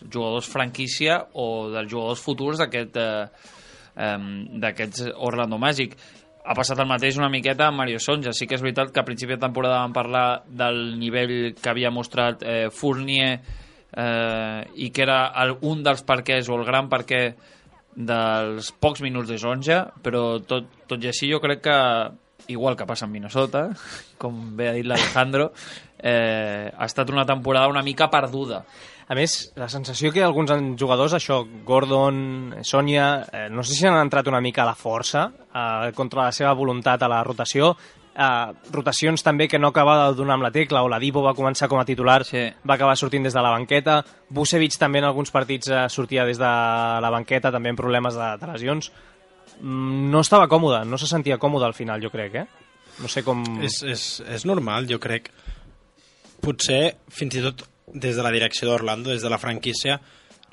jugadors franquícia o dels jugadors futurs d'aquests Orlando Magic. Ha passat el mateix una miqueta amb Mario Sonja. Sí que és veritat que a principi de temporada vam parlar del nivell que havia mostrat Fournier i que era un dels perquès o el gran perquè dels pocs minuts de Sonja, però tot i així jo crec que, igual que passa en Minnesota, com bé ha dit l'Alejandro, ha estat una temporada una mica perduda. A més, la sensació que alguns jugadors, això, Gordon, Sonia, no sé si han entrat una mica a la força contra la seva voluntat a la rotació, rotacions també que no acabava de donar amb la tecla, o la Dipo va començar com a titular, sí. Va acabar sortint des de la banqueta, Vucevic també en alguns partits sortia des de la banqueta, també amb problemes de lesions. No estava còmode, no se sentia còmode al final, jo crec, No sé com... És normal, jo crec. Potser, fins i tot, des de la direcció d'Orlando, des de la franquícia,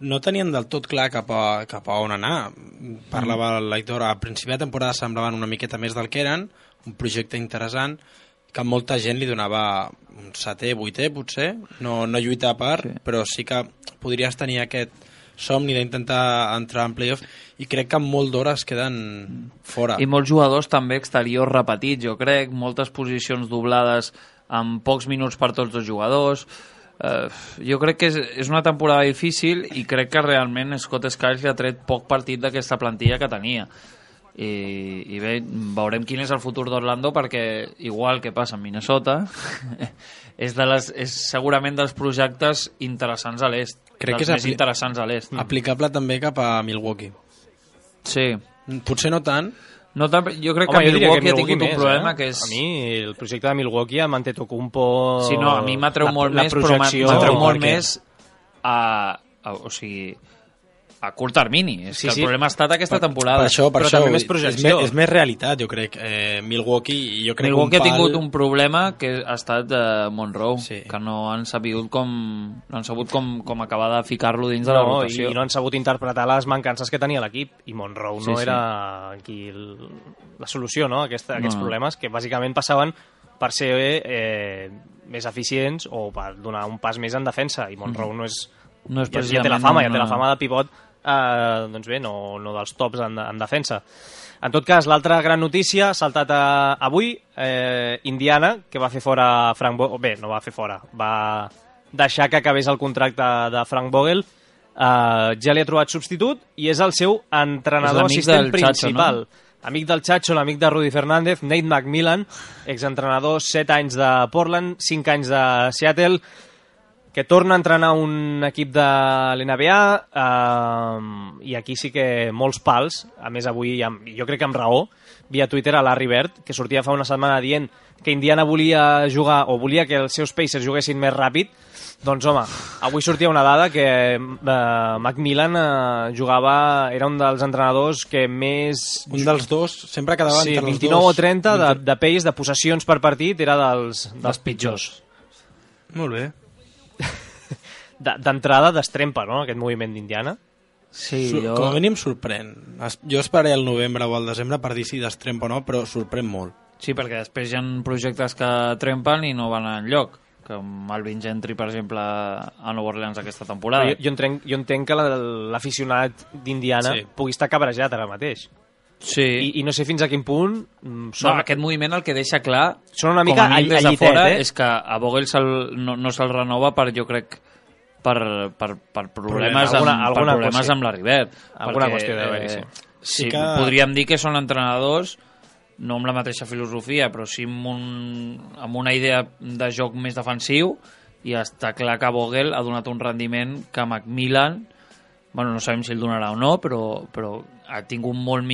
no tenien del tot clar cap a on anar. Parlava l'Aitor, a principi de temporada semblaven una miqueta més del que eren, un projecte interessant, que molta gent li donava un 7è, 8è, potser, no lluitar a part, sí. Però sí que podries tenir aquest somni d'intentar entrar en playoff, i crec que molt d'hores queden fora. I molts jugadors també exteriors repetits, jo crec, moltes posicions doblades amb pocs minuts per tots els jugadors. Jo crec que és una temporada difícil i crec que realment Scott Skiles li ha tret poc partit d'aquesta plantilla que tenia. I bé, veurem quin és el futur d'Orlando, perquè igual que passa en Minnesota és segurament dels projectes interessants a l'est, crec dels que és més interessants a l'est. Aplicable també cap a Milwaukee. Sí. Potser no tant. No tant, jo crec que Milwaukee ha tingut un problema que és... A mi el projecte de Milwaukee amb Antetokounmpo... Sí, no, a mi m'atreu molt més, però m'atreu molt més o sigui, a curt termini. És que el problema ha estat aquesta temporada. Per això, també més projecció. És més realitat, jo crec. Milwaukee ha tingut un problema que ha estat Monroe, sí. Que no han sabut com acabar de ficar-lo dins de la rotació. I no han sabut interpretar les mancances que tenia l'equip, i Monroe no era aquí la solució, no? Aquests problemes que bàsicament passaven per ser més eficients o per donar un pas més en defensa, i Monroe no és ja té la fama de pivot, doncs bé, no dels tops en defensa. En tot cas, l'altra gran notícia ha saltat avui, Indiana, que va fer fora Frank Vogel. Bé, no va fer fora, va deixar que acabés el contracte de Frank Vogel. Ja li ha trobat substitut i és el seu entrenador assistent principal. Amic del Chacho, l'amic de Rudy Fernández, Nate McMillan, exentrenador 7 anys de Portland, 5 anys de Seattle, que torna a entrenar un equip de l'NBA, i aquí sí que molts pals. A més, avui, jo crec que amb raó, via Twitter a Larry Bird, que sortia fa una setmana dient que Indiana volia jugar, o volia que els seus Pacers juguessin més ràpid. Doncs home, avui sortia una dada que McMillan era un dels entrenadors que més... Un dels dos, sempre quedava entre els dos. 29 o 30 de pace, de possessions per partit, era dels pitjors. Molt bé. D'entrada destrempa, no?, aquest moviment d'Indiana. Sí, com a mínim sorprèn. Jo esperaré el novembre o el desembre per dir si destrempa o no, però sorprèn molt. Sí, perquè després hi ha projectes que trempen i no van enlloc, com Alvin Gentry, per exemple, a Nova Orleans aquesta temporada. Jo entenc que l'aficionat d'Indiana pugui estar cabrejat ara mateix. Sí. I no sé fins a quin punt No, aquest moviment el que deixa clar, són una com mica a mínim des de llitet, fora, eh? és que a Vogel no se'l renova per, jo crec, per problemes, Alguna problemes qüestió. amb la Rivert. Alguna qüestió deu haver-hi, sí. Sí, que... podríem dir que són entrenadors no amb la mateixa filosofia, però sí amb una idea de joc més defensiu, i està clar que Vogel ha donat un rendiment que Macmillan, bueno, no sabem si el donarà o no, però ha tingut molts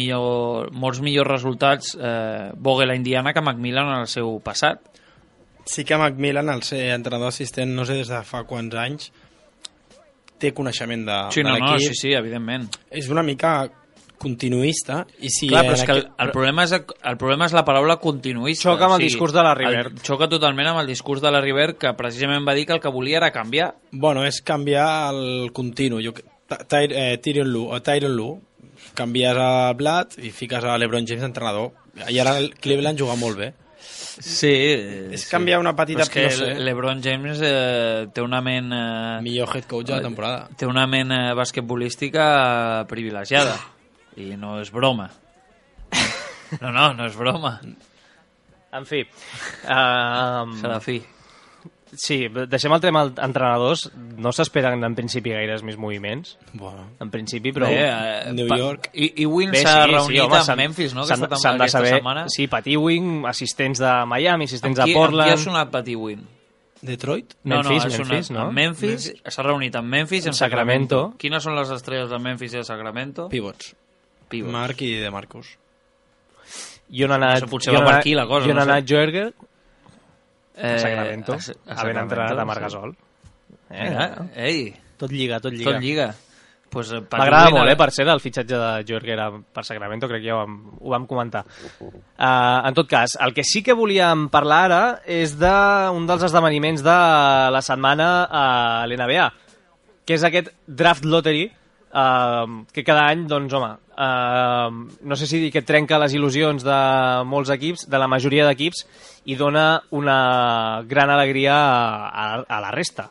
millors resultats Vogel a Indiana que Macmillan en el seu passat. Sí que Macmillan, al ser entrenador assistent, no sé des de fa quants anys, té coneixement de l'equip. Sí, evidentment. És una mica continuista. I si Clar, però és que el problema és la paraula continuista. Xoca amb el discurs de la Rivert. Xoca totalment amb el discurs de la Rivert, que precisament va dir que el que volia era canviar. Bueno, és canviar el continu. Tyronn Lue, canvies a Blatt i fiques a LeBron James entrenador. I ara el Cleveland juga molt bé. Sí. És canviar una petita... Però és que no sé. LeBron James té una ment... Millor head coach de la temporada. Té una ment basquetbolística privilegiada. I no és broma. No és broma. En fi. Serà fi. Sí, deixem el tema entrenadors. No s'esperen en principi gaires més moviments. Bueno. En principi, però... New York. I Wing s'ha reunit amb Memphis, no? S'han de saber... Sí, Pat Ewing, assistents de Miami, assistents de Qui Portland... ha sonat Pat Ewing? Detroit? Memphis, no? Memphis, s'ha reunit amb Memphis i amb Sacramento. Quines són les estrelles de Memphis i de Sacramento? Pivots. Marc i de Marcus. I on ha anat... Potser va per aquí la cosa. I on ha anat Joerger? A Sacramento. Havent entrenat a Marc Gasol. Ei, Tot lliga. tot lliga. Pues, m'agrada molt, per ser el fitxatge de Joerger per Sacramento, crec que ja ho vam comentar. En tot cas, el que sí que volíem parlar ara és d'un dels esdeveniments de la setmana a l'NBA, que és aquest draft lottery, que cada any, doncs, home, no sé si dir que trenca les il·lusions de molts equips, de la majoria d'equips, i dona una gran alegria a la resta.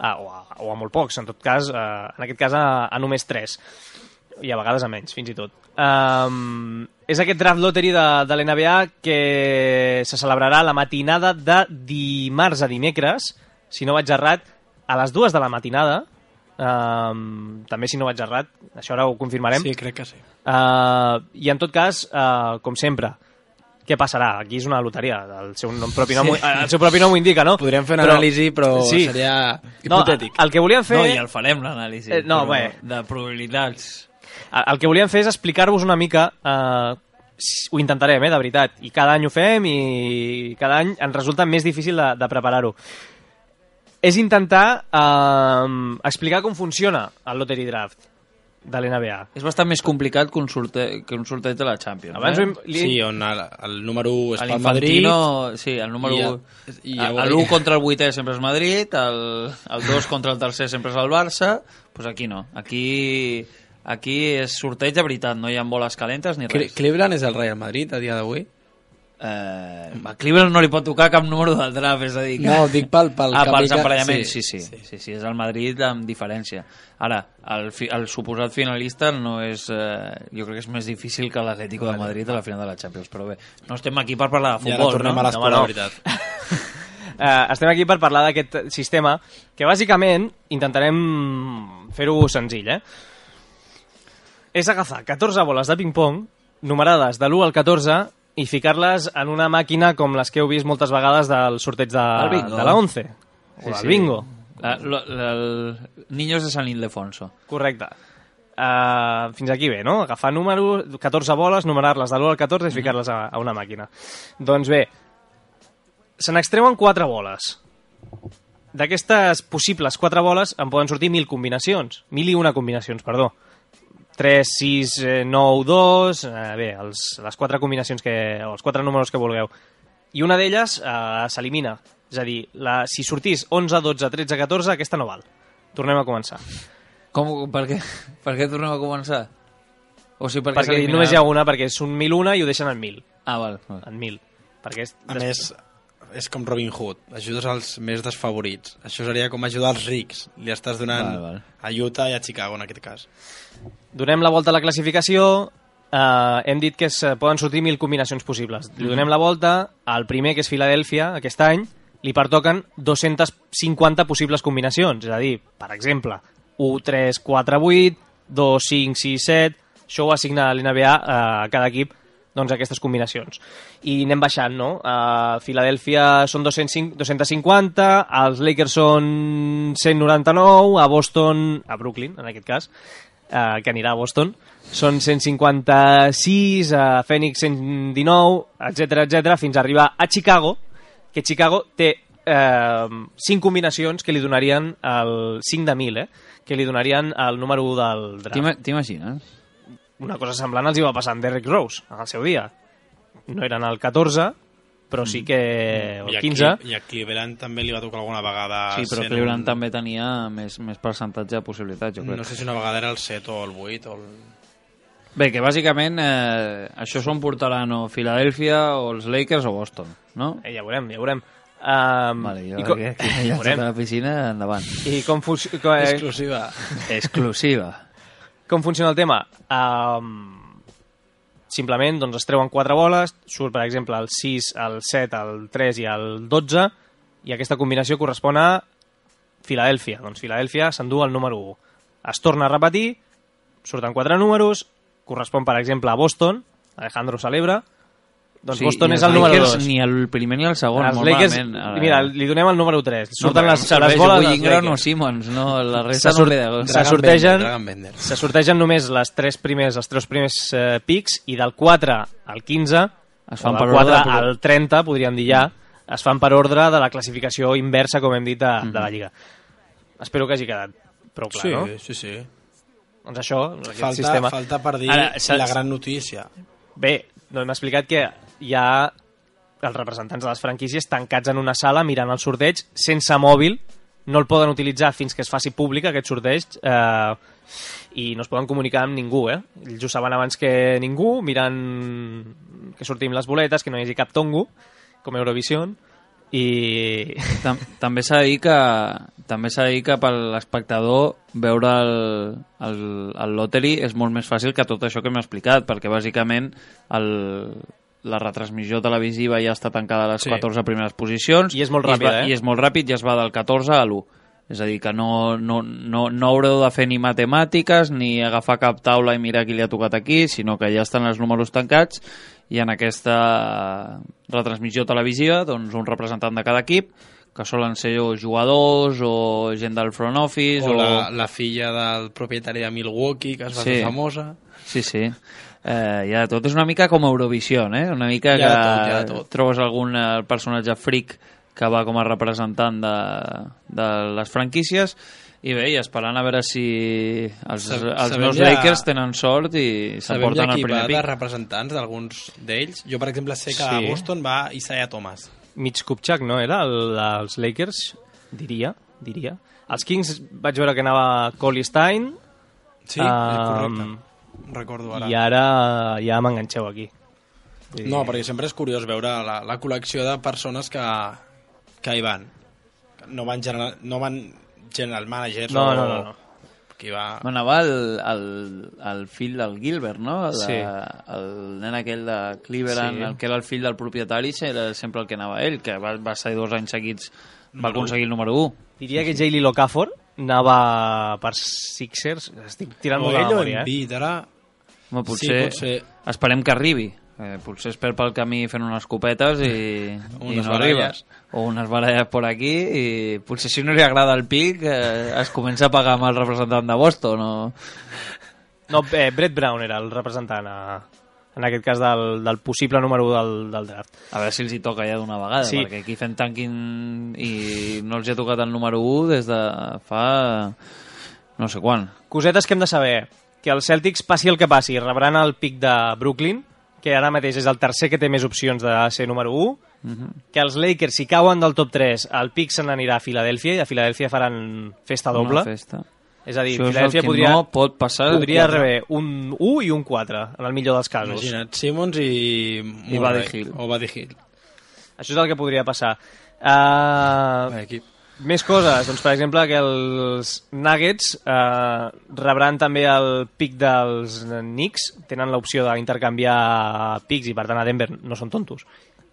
O a molt pocs, en tot cas, en aquest cas a només 3, i a vegades a menys, fins i tot. És aquest draft lottery de l'NBA que se celebrarà la matinada de dimarts a dimecres, si no vaig errat, a les 2 de la matinada. També, si no vaig errat, això ara ho confirmarem. Sí, crec que sí. I en tot cas, com sempre, què passarà? Aquí és una loteria, el seu propi nom ho indica, no? Podríem fer una anàlisi, però sí, seria hipotètic. El que volíem fer... No, i el farem, l'anàlisi. De probabilitats. El que volíem fer és explicar-vos una mica... ho intentarem, de veritat. I cada any ho fem i cada any ens resulta més difícil de preparar-ho. És intentar explicar com funciona el Lottery Draft de l'NBA. És bastant més complicat que un sorteig de la Champions. Sí, on el número 1 és pel Madrid. Sí, el número 1... L'1 contra el 8è sempre és Madrid, el 2 contra el 3è sempre és el Barça, doncs aquí no. Aquí és sorteig de veritat, no hi ha boles calentes ni res. Cleveland és el Real Madrid a dia d'avui? A Cleveland no li pot tocar cap número del draft, és a dir... No, dic pel pels emparellaments, sí, és el Madrid amb diferència. Ara, el suposat finalista no és... jo crec que és més difícil que l'Atlético de Madrid a la final de la Champions, però bé, no estem aquí per parlar de futbol, no? I ara tornem a l'esport, la veritat. Estem aquí per parlar d'aquest sistema, que bàsicament intentarem fer-ho senzill, És agafar 14 boles de ping-pong, numerades de l'1 al 14, i ficar-les en una màquina com les que heu vist moltes vegades del sorteig de la 11 o del bingo. El Niños de San Ildefonso. Correcte. Fins aquí bé, no? Agafar números, 14 boles, numerar-les de l'1 al 14 i ficar-les a una màquina. Doncs bé, se n'extreuen 4 boles. D'aquestes possibles 4 boles en poden sortir 1.000 combinacions. 1.001 combinacions, perdó. 3, 6, 9, 2... Bé, les 4 combinacions o els 4 números que vulgueu. I una d'elles s'elimina. És a dir, si sortís 11, 12, 13, 14, aquesta no val. Tornem a començar. Per què tornem a començar? O sigui, perquè només hi ha una, perquè és un 1.001 i ho deixen en 1.000. Val. En 1.000. A més, és com Robin Hood. Ajudes als més desfavorits. Això seria com ajudar als rics. Li estàs donant a Utah i a Chicago, en aquest cas. Donem la volta a la classificació, hem dit que poden sortir 1.000 combinacions possibles. Li donem la volta, al primer, que és Filadèlfia, aquest any, li pertoquen 250 possibles combinacions. És a dir, per exemple, 1, 3, 4, 8, 2, 5, 6, 7... Això ho assigna l'NBA a cada equip, doncs, aquestes combinacions. I anem baixant, no? A Filadèlfia són 250, als Lakers són 199, a Boston, a Brooklyn, en aquest cas, que anirà a Boston, són 156, a Phoenix 119, etc, fins a arribar a Chicago, que Chicago té 5 combinacions que li donarien el 5 de 1.000, que li donarien el número 1 del draft. T'imagines? Una cosa semblant els hi va passar amb Derrick Rose en el seu dia. No eren el 14, però sí que el 15. I a Cleveland també li va tocar alguna vegada... Sí, però Cleveland també tenia més percentatge de possibilitats, jo crec. No sé si una vegada era el 7 o el 8 o el... Bé, que bàsicament això s'ho portaran o Filadèlfia o els Lakers o Boston, no? Ja ho veurem. Vale, jo aquí a la piscina, endavant. I com Exclusiva. Exclusiva. Com funciona el tema? Simplement doncs, es treuen 4 boles, surt per exemple el 6, el 7, el 3 i el 12, i aquesta combinació correspon a Filadèlfia. Doncs Filadèlfia s'endú el número 1. Es torna a repetir, surten 4 números, correspon per exemple a Boston, Alejandro celebra, doncs sí, Boston és el número 2. Ni el primer ni el segon, els molt Lakers, malament. Mira, li donem el número 3. Surten no, les boles dels Ingram o Simmons, no? La resta no ve de... Se sortegen només els tres primers pics, i del 4 al 15, es fan del per 4 ordre, al 30, podríem dir ja, es fan per ordre de la classificació inversa, com hem dit, de la Lliga. Espero que hagi quedat prou clar, no? Sí. Doncs això, aquest sistema... Falta per dir la gran notícia. Bé, no hem explicat que hi ha els representants de les franquícies tancats en una sala mirant el sorteig sense mòbil, no el poden utilitzar fins que es faci públic aquest sorteig, i no es poden comunicar amb ningú, ells ho saben abans que ningú, mirant que sortim les boletes, que no hi hagi cap tongo com Eurovision, i també s'ha de dir que per l'espectador veure el lottery és molt més fàcil que tot això que m'he explicat, perquè bàsicament la retransmissió televisiva ja està tancada a les 14 primeres posicions i és molt ràpid, i és molt ràpid, i es va del 14 a l'1. És a dir, que no haureu de fer ni matemàtiques ni agafar cap taula i mirar qui li ha tocat aquí, sinó que ja estan els números tancats, i en aquesta retransmissió televisiva doncs un representant de cada equip, que solen ser jugadors o gent del front office o la filla del propietari de Milwaukee, que es va fer famosa. Sí. Ja tot és una mica com Eurovision, una mica que tot. Trobes algun personatge freak que va com a representant de les franquícies, i bé, i esperant a veure si els meus Lakers tenen sort i s'emporten el primer pic. Sabem de representants d'alguns d'ells? Jo, per exemple, sé que a Boston va Isaiah Thomas. Mitch Kupchak, no era? Els Lakers, diria. Els Kings vaig veure que anava Collie Stein. Sí, correcte. Recordo ara. I ara ja m'enganxeu aquí. No, perquè sempre és curiós veure la col·lecció de persones que hi van. No van general managers no. Qui va... Anava el fill del Gilbert, no? El nen aquell de Cleveland, el que era el fill del propietari, era sempre el que anava ell, que va ser 2 anys seguits, va aconseguir el número 1. Diria que J.L. Okafor anava per Sixers, estic tirant molt de memòria. Potser esperem que arribi. Potser es perd pel camí fent unes copetes i no arriba. O unes baralles per aquí, i potser si no li agrada el pic es comença a pagar amb el representant de Boston. No, Brett Brown era el representant en aquest cas del possible número 1 del draft. A veure si els hi toca ja d'una vegada, perquè aquí fent tanking i no els hi ha tocat el número 1 des de fa no sé quan. Cosetes que hem de saber: que els Celtics, passi el que passi, rebran el pic de Brooklyn, que ara mateix és el tercer que té més opcions de ser número 1, que els Lakers, si cauen del top 3, el pic se n'anirà a Filadèlfia, i a Filadèlfia faran festa doble. És a dir, Filadèlfia podria rebre un 1 i un 4, en el millor dels casos. Imagina't, Simmons i Buddy Hield. O Buddy Hield. Això és el que podria passar. Més coses, doncs per exemple que els Nuggets rebran també el pick dels Knicks, tenen l'opció d'intercanviar picks i per tant a Denver no són tontos.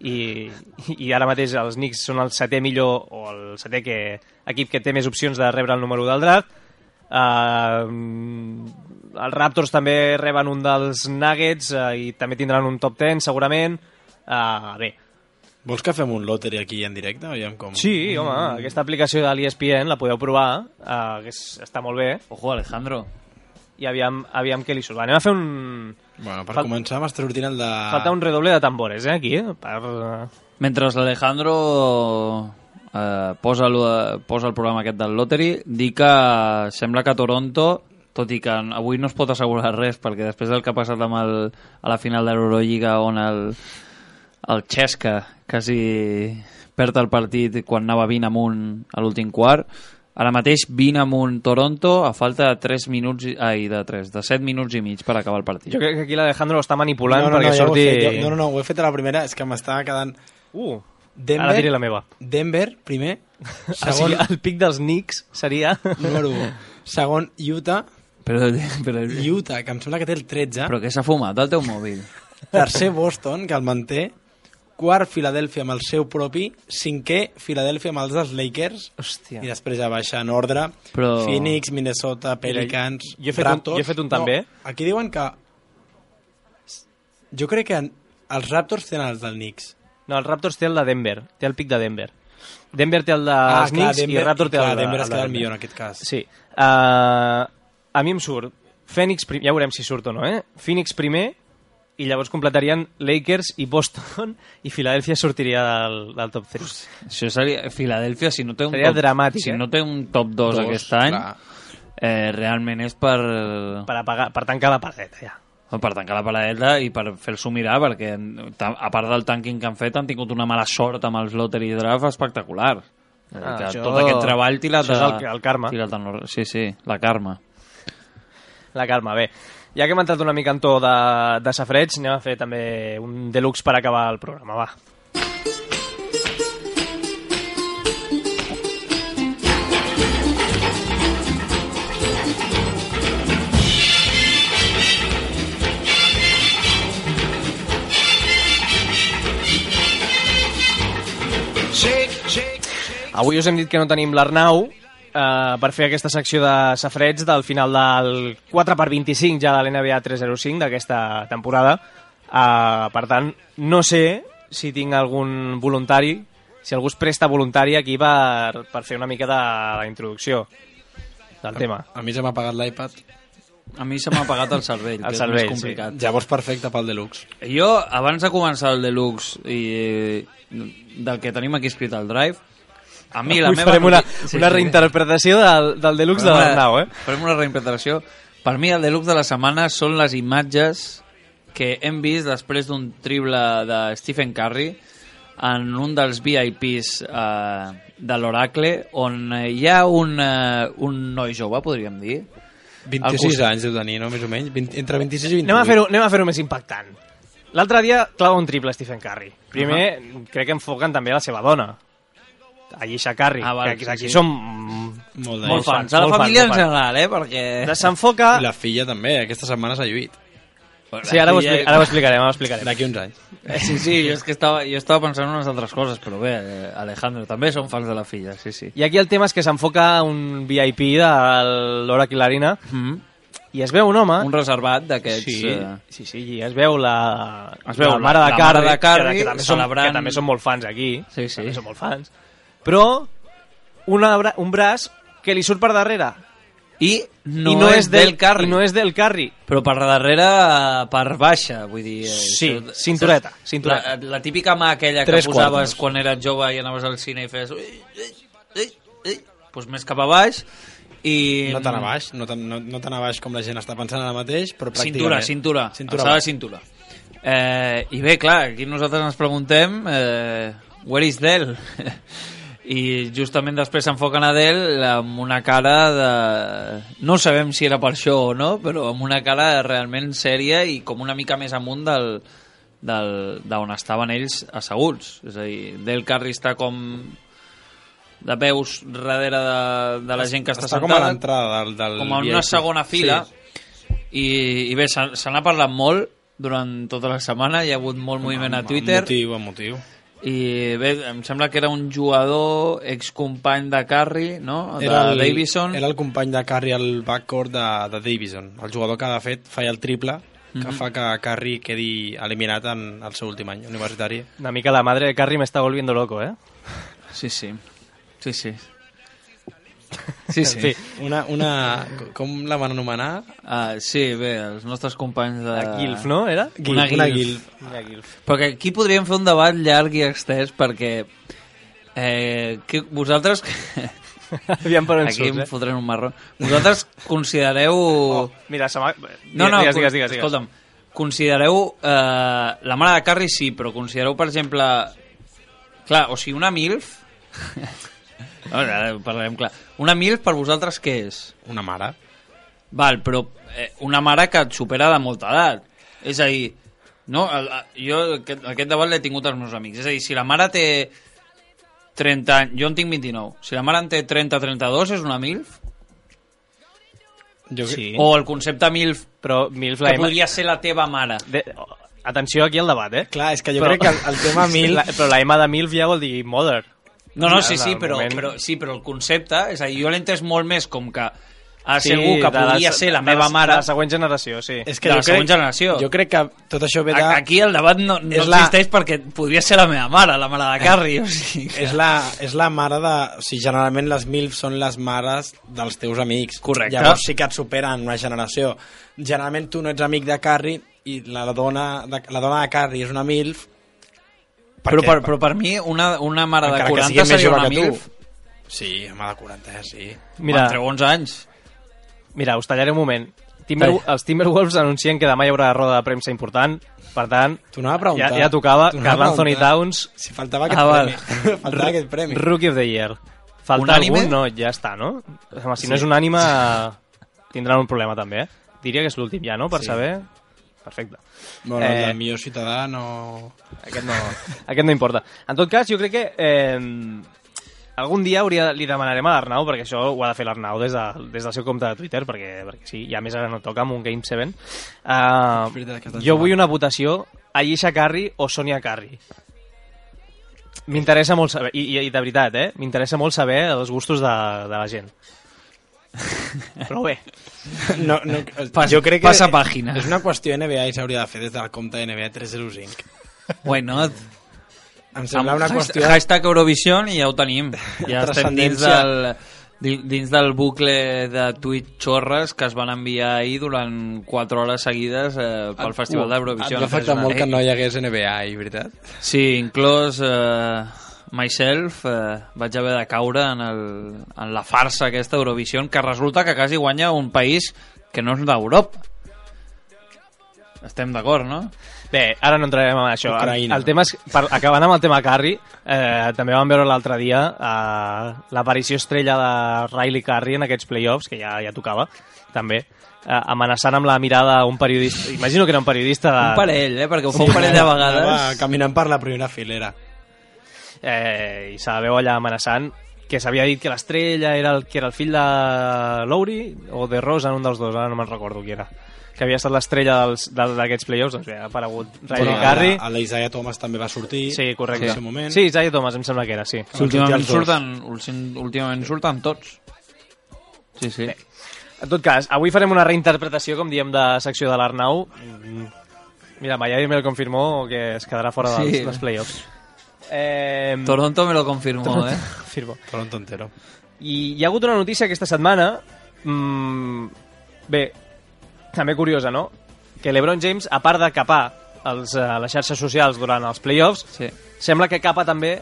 I ara mateix els Knicks són el setè millor o el setè equip que té més opcions de rebre el número 1 del draft. Els Raptors també reben un dels Nuggets i també tindran un top 10 segurament. Bé, Vols que fem un lottery aquí en directe? Aviam com... sí, home, aquesta aplicació de l'ESPN la podeu provar, que està molt bé, Ojo, Alejandro. i aviam què li surt. Va, anem a fer un... Bueno, per començar m'està sortint el de... Falta un redoble de tambores, aquí, per... Mentre l'Alejandro posa el programa aquest del Lottery, dir que sembla que Toronto, tot i que avui no es pot assegurar res, perquè després del que ha passat a la final de l'Eurolliga, on el Xesca quasi perd el partit quan anava 20 amunt a l'últim quart, ara mateix 20 amunt Toronto a falta de 7 minuts i mig per acabar el partit. Jo crec que aquí l'Alejandro està manipulant perquè ja surti... No, ho he fet a la primera, és que m'estava quedant... Ara diré la meva. Denver, primer. O sigui, el pic dels Knicks seria... Número 1. Segon, Utah. Però Utah, que em sembla que té el 13. què s'ha fumat el teu mòbil? Tercer, Boston, que el manté. Quart, Filadèlfia amb el seu propi. Cinquè, Filadèlfia amb els dels Lakers. Hòstia. I després ja baixa en ordre. Phoenix, Minnesota, Pelicans, Raptors. Jo he fet un també. Aquí diuen que... Jo crec que els Raptors tenen els del Knicks. No, el Raptors té el de Denver, té el pic de Denver. Denver té el dels Knicks i el Raptors té el de Denver es queda el millor en aquest cas. Sí. A mi em surt Phoenix, ja veurem si surt o no, Phoenix primer, i llavors completarien Lakers i Boston, i Filadèlfia sortiria del top 3. Això seria... Filadèlfia, si no té un seria top, dramàtic, si no té un top 2 aquest any, realment és per tancar la paradeta, ja. Per tancar la paradeta i per fer-s'ho mirar, perquè a part del tanking que han fet han tingut una mala sort amb els lottery draft espectacular. Tot aquest treball tirat... Això és el karma. Sí, la karma. La karma, bé. Ja que hem entrat una mica en to de safreig, anem a fer també un deluxe per acabar el programa, va. Avui us hem dit que no tenim l'Arnau per fer aquesta secció de safreig del final del 4x25 ja de l'NBA 305 d'aquesta temporada. Per tant, no sé si tinc algun voluntari, si algú es presta voluntari aquí per fer una mica de la introducció del tema. A mi se m'ha apagat l'iPad. A mi se m'ha apagat el cervell, que és més complicat. Sí. Llavors perfecte pel Deluxe. Jo, abans de començar el Deluxe i del que tenim aquí escrit al Drive, a mi la meva... Farem una reinterpretació del Deluxe de l'Arnau, Farem una reinterpretació. Per mi el Deluxe de la setmana són les imatges que hem vist després d'un triple de Stephen Curry en un dels VIPs de l'Oracle, on hi ha un noi jove, podríem dir. 26 anys deu tenir, no? Més o menys. Entre 26 i 28. Anem a fer-ho més impactant. L'altre dia clava un triple Stephen Curry. Primer, crec que enfoquen també la seva dona, Ayesha Curry, que aquí som molt fans. A la família en general, perquè... S'enfoca... I la filla també, aquesta setmana s'ha lluït. Sí, ara ho explicarem. D'aquí uns anys. Sí, jo estava pensant en unes altres coses, però bé, Alejandro, també som fans de la filla, sí. I aquí el tema és que s'enfoca un VIP de l'Oracle Arena i es veu un home... Un reservat d'aquests... Sí, i es veu la mare de Curry, que també són molt fans aquí, també són molt fans, però un braç que li surt per darrere. I no és del Curry. I no és del Curry. Però per darrere, per baixa, vull dir... Sí, cintureta. La típica mà aquella que posaves quan eres jove i anaves al cine i fes... Doncs més cap a baix i... No tan a baix, no tan a baix com la gent està pensant ara mateix, però pràcticament... Cintura. Alçada de cintura. I bé, clar, aquí nosaltres ens preguntem... Where is Del? I justament després s'enfoquen a Del amb una cara de... No sabem si era per això o no, però amb una cara realment sèria i com una mica més amunt d'on estaven ells asseguts. És a dir, Del Curry està com de peus darrere de la gent que està sentada. Com a l'entrada del com en una segona fila. Sí. I bé, se n'ha parlat molt durant tota la setmana, hi ha hagut molt moviment a Twitter. Motiu. I bé, em sembla que era un jugador excompany de Curry, no? Davison. Era el company de Curry al backcourt de Davison, el jugador que de fet feia el triple que fa que Curry quedi eliminat en el seu últim any universitari. Una mica la madre de Curry me está volviendo loco, ¿eh? Sí. En fi. Com la van anomenar? Sí, bé, els nostres companys de... La Guilf, no? Era? Una Guilf. Perquè aquí podríem fer un debat llarg i extès, perquè vosaltres... Aviam per on aquí surts, em fotrem un marró. Vosaltres considereu... Mira, digues. Escolta'm, considereu... la mare de Curry sí, però considereu, per exemple... Clar, o sigui, una MILF... Ara parlarem clar. Una MILF per vosaltres què és? Una mare. Val, però una mare que et supera de molta edat. És a dir, no? Jo aquest debat l'he tingut als meus amics. És a dir, si la mare té 30 anys... Jo en tinc 29. Si la mare en té 30-32, és una MILF? Sí. O el concepte MILF, però MILF que podria ser la teva mare. Atenció aquí al debat, Clar, és que jo crec que el tema MILF... Però la M de MILF ja vol dir mother. No, sí, però el concepte, és a dir, jo l'he entès molt més com que segur que podria ser la meva mare... De la següent generació, sí. És que de la següent generació. Jo crec que tot això ve de... Aquí el debat no existeix perquè podria ser la meva mare, la mare de Curry. O sigui, és la mare de... O sigui, generalment les MILF són les mares dels teus amics. Correcte. Llavors sí que et superen una generació. Generalment tu no ets amic de Curry i la dona de Curry és una MILF. Però per mi una mare de 40 seria una MILF. Sí, home, de 40, sí. Mira, entre 11 anys. Mira, us tallaré un moment. Els Timberwolves anuncien que demà hi haurà roda de premsa important, per tant, ja tocava Karl Anthony Towns. Si faltava aquest premi. Faltava aquest premi. Rookie of the Year. Falta algun? No, ja està, no? Home, si no és unànime, tindran un problema també, Diria que és l'últim ja, no? Per saber... Perfecte. Bueno, el del millor ciutadà no... Aquest no importa. En tot cas, jo crec que algun dia li demanarem a l'Arnau, perquè això ho ha de fer l'Arnau des del seu compte de Twitter, perquè sí, i a més ara no toca amb un Game 7. Jo vull una votació Ayesha Curry o Sonia Curry. M'interessa molt saber, i de veritat, m'interessa molt saber els gustos de la gent. Però bé, jo crec que passa pàgina. És una qüestió NBA i s'hauria de fer des del compte NBA 305. Why not? Em sembla una qüestió... Hashtag Eurovision i ja ho tenim. Ja estem dins del bucle de tuit xorres que es van enviar ahir durant 4 hores seguides pel Festival d'Eurovision. Et va afectar molt que no hi hagués NBA ahir, veritat? Sí, inclòs... myself, vaig haver de caure en la farsa aquesta Eurovision, que resulta que quasi guanya un país que no és d'Europa. Estem d'acord, no? Bé, ara no entrarem en això. Ucraïna. El tema és, acabant amb el tema Curry, també vam veure l'altre dia l'aparició estrella de Riley Curry en aquests playoffs, que ja tocava, també, amenaçant amb la mirada un periodista. Imagino que era un periodista... Un parell, perquè ho fa un parell de vegades. Anava caminant per la primera filera. I se la veu allà amenaçant que s'havia dit que l'estrella era el fill de Lowry o de Rose, en un dels dos, ara no me'n recordo qui era, que havia estat l'estrella d'aquests playoffs. Doncs bé, ha aparegut Riley Curry. L'Isaiah Thomas també va sortir. Sí, correcte. En aquest moment. Sí, Isaiah Thomas em sembla que era, sí. Últimament surten tots. Sí. Bé. En tot cas, avui farem una reinterpretació, com diem, de secció de l'Arnau. Mira, Miami me lo confirmó que es quedarà fora dels playoffs. Toronto me lo confirmó, Toronto entero. I hi ha hagut una notícia aquesta setmana, bé, també curiosa, no? Que LeBron James, a part de capar les xarxes socials durant els playoffs, sembla que capa també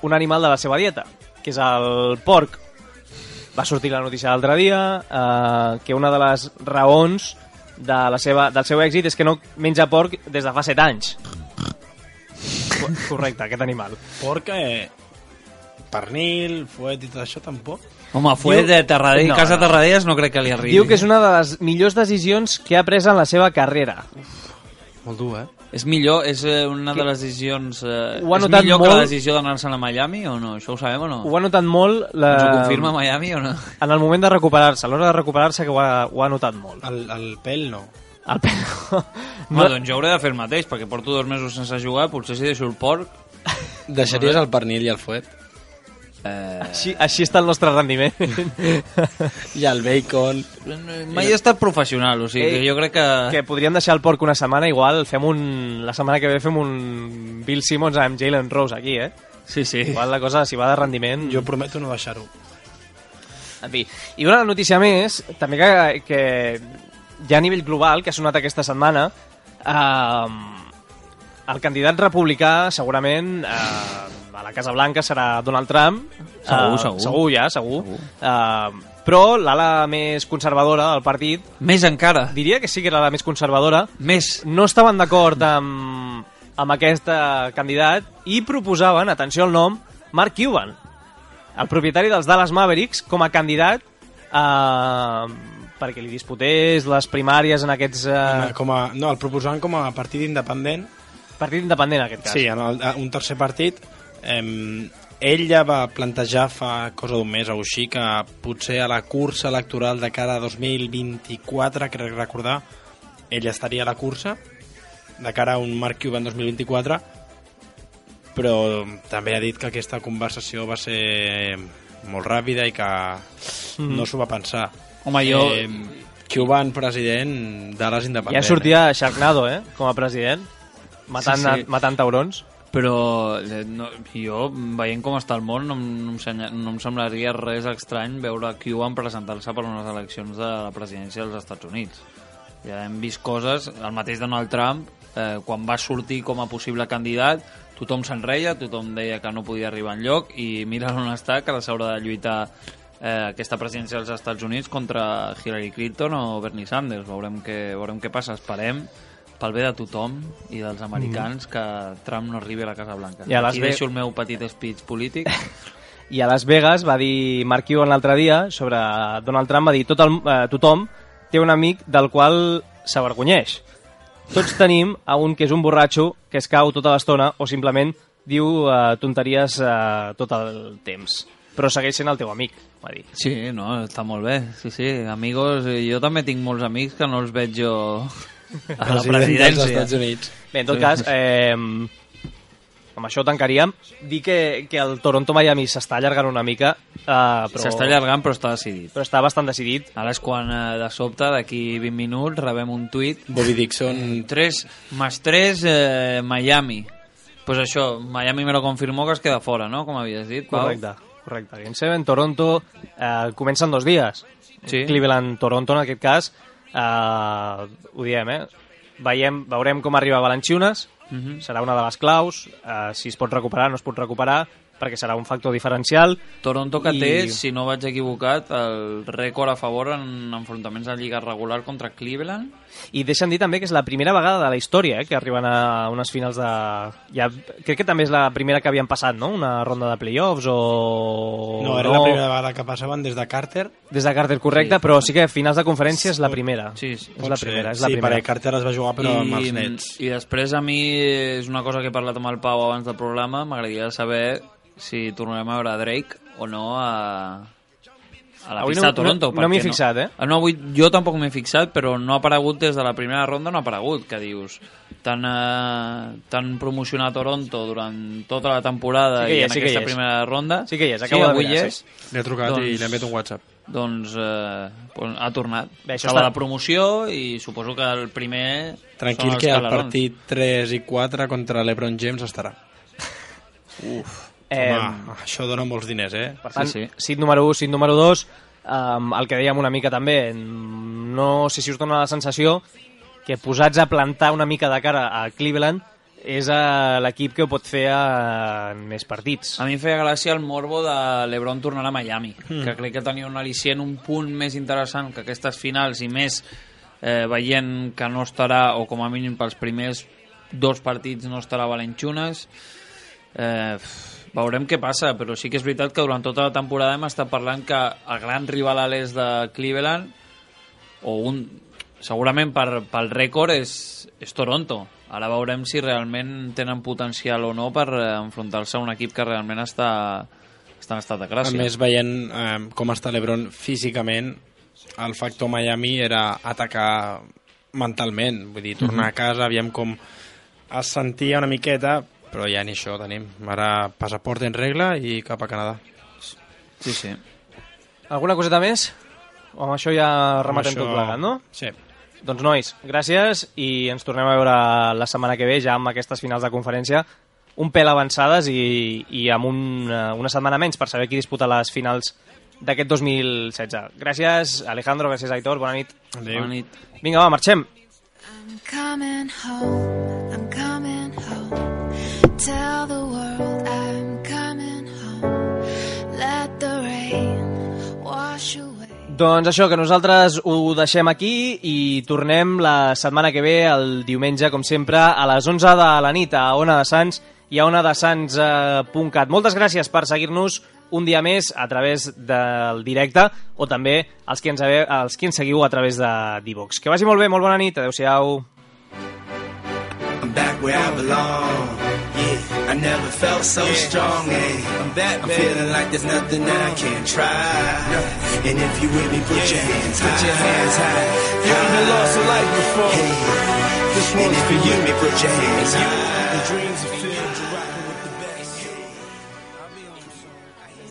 un animal de la seva dieta, que és el porc. Va sortir la notícia l'altre dia, que una de les raons del seu èxit és que no menja porc des de fa 7 anys. Correcte, aquest animal. Porc, pernil, fuet i tot això, tampoc? Home, fuet de casa Terradellas no crec que li arribi. Diu que és una de les millors decisions que ha pres en la seva carrera. Molt dur, És millor, és una de les decisions... Ho ha és notat millor molt... que la decisió d'anar-se'n a Miami o no? Això ho sabem o no? Ho ha notat molt... Ens ho confirma Miami o no? En el moment de recuperar-se, a l'hora de recuperar-se que ho ha notat molt. El pèl no. El pèl no. Home, doncs jo hauré de fer el mateix, perquè porto 2 mesos sense jugar, potser si deixo el porc... Deixaries el pernil i el fuet? Així està el nostre rendiment. I el bacon... Mai he estat professional, o sigui, que jo crec que... Que podríem deixar el porc una setmana, igual la setmana que ve fem un Bill Simmons amb Jalen Rose aquí, eh? Sí, sí. Igual la cosa, si va de rendiment... Jo prometo no deixar-ho. En fi, i una notícia més, també que ja a nivell global, que ha sonat aquesta setmana, el candidat republicà segurament a la Casa Blanca serà Donald Trump. Segur. Segur. Però l'ala més conservadora del partit... Més encara. Diria que sí que era la més conservadora. Més. No estaven d'acord amb aquest candidat i proposaven, atenció al nom, Mark Cuban, el propietari dels Dallas Mavericks, com a candidat perquè li disputés les primàries en aquests... No, el proposaven com a partit independent. Partit independent, en aquest cas. Sí, un tercer partit. Ell ja va plantejar fa cosa d'un mes o així que potser a la cursa electoral de cara a 2024, crec recordar, ell estaria a la cursa de cara a un Mark Cuban 2024, però també ha dit que aquesta conversació va ser molt ràpida i que no s'ho va pensar. Home, jo... Cuban president, Dallas independent. Ja sortia Sharknado, com a president, matant taurons. Però jo, veient com està el món, no em semblaria res estrany veure Cuban presentar-se per unes eleccions de la presidència dels Estats Units. Ja hem vist coses, el mateix Donald Trump, quan va sortir com a possible candidat, tothom se'n reia, tothom deia que no podia arribar enlloc, i mira on està, que s'haurà de lluitar aquesta presidència dels Estats Units contra Hillary Clinton o Bernie Sanders. Veurem què passa, esperem pel bé de tothom i dels americans que Trump no arribi a la Casa Blanca. Aquí deixo el meu petit speech polític. I a Las Vegas va dir Mark Cuban l'altre dia sobre Donald Trump, va dir tothom té un amic del qual s'avergonyeix. Tots tenim a un que és un borratxo que es cau tota l'estona o simplement diu tonteries tot el temps. Però segueix sent el teu amic, va dir. Sí, no, està molt bé. Sí, amigos, jo també tinc molts amics que no els veig jo a la presidència dels Estats Units. Bé, en tot cas, amb això tancaríem. Dir que el Toronto-Miami s'està allargant una mica. S'està allargant, però està decidit. Però està bastant decidit. Ara és quan, de sobte, d'aquí 20 minuts, rebem un tuit. Bobby Dixon... 3+3, Miami. Pues això, Miami me lo confirmó que es queda fora, no? Com havies dit, Pau? Correcte. Game 7, Toronto, comencen 2 dies. Sí. Cleveland-Toronto, en aquest cas. Ho diem, veurem com arriba Valanciunas. Serà una de les claus, si es pot recuperar, no es pot recuperar, perquè serà un factor diferencial. Toronto que té, si no vaig equivocat, el rècord a favor en enfrontaments de lliga regular contra Cleveland. I deixa'm dir també que és la primera vegada de la història que arriben a unes finals de... Ja, crec que també és la primera que havien passat, no? Una ronda de playoffs o... No, era la primera vegada que passaven des de Carter. Des de Carter, correcte, però sí que finals de conferència és la primera. Sí, és la primera. Sí, perquè Carter es va jugar però amb els Nets. I després a mi és una cosa que he parlat amb el Pau abans del programa, m'agradaria saber si tornarem a veure Drake o no a la pista de Toronto. No m'hi he fixat, avui jo tampoc m'he fixat, però no ha aparegut des de la primera ronda, no ha aparegut, que dius, tan promocionar Toronto durant tota la temporada i en aquesta primera ronda. Sí que hi és, acabo de mirar, sí. Li ha trucat i li ha enviat un WhatsApp. Doncs ha tornat. Bé, estava a la promoció i suposo que el primer... Tranquil, que el partit 3 i 4 contra l'Ebron James estarà. Home, això dona molts diners, Per tant, sit número 1, sit número 2, el que dèiem una mica també, no sé si us dona la sensació que posats a plantar una mica de cara a Cleveland és l'equip que ho pot fer en més partits. A mi em feia gràcia el morbo de l'Ebron tornar a Miami, que crec que tenia un al·licient un punt més interessant que aquestes finals i més veient que no estarà, o com a mínim pels primers 2 partits no estarà Valanciunas. Veurem què passa, però sí que és veritat que durant tota la temporada hem estat parlant que el gran rival a l'est de Cleveland, segurament pel rècord és Toronto. Ara veurem si realment tenen potencial o no per enfrontar-se a un equip que realment està en estat de gràcia. A més, veient com està l'Ebron físicament, el factor Miami era atacar mentalment, vull dir, tornar a casa, aviam com es sentia una miqueta, però ja ni això tenim. Ara passaport en regla i cap a Canadà. Sí. Alguna coseta més? O amb això ja rematem tot plegat, no? Sí. Doncs nois, gràcies i ens tornem a veure la setmana que ve ja amb aquestes finals de conferència un pèl avançades i amb una setmana menys per saber qui disputa les finals d'aquest 2016. Gràcies, Alejandro, gràcies, Aitor, bona nit. Adéu. Bona nit. Vinga, va, marxem. I'm coming home. Tell the world I'm coming home. Let the rain wash away. Doncs això, que nosaltres ho deixem aquí i tornem la setmana que ve, el diumenge, com sempre, a les 11 de la nit a Ona de Sants i a onadesans.cat. Moltes gràcies per seguir-nos un dia més a través del directe o també els que ens seguiu a través de d'iVox. Que vagi molt bé, molt bona nit, adeu-siau. I'm back where I belong. Yeah, I never felt so strong. I'm back, I'm feeling like there's nothing that I can't try. And if you with me, put your hands high. Put your hands high. You haven't lost a life before. This one's for you. Put your hands high. The dreams are filled.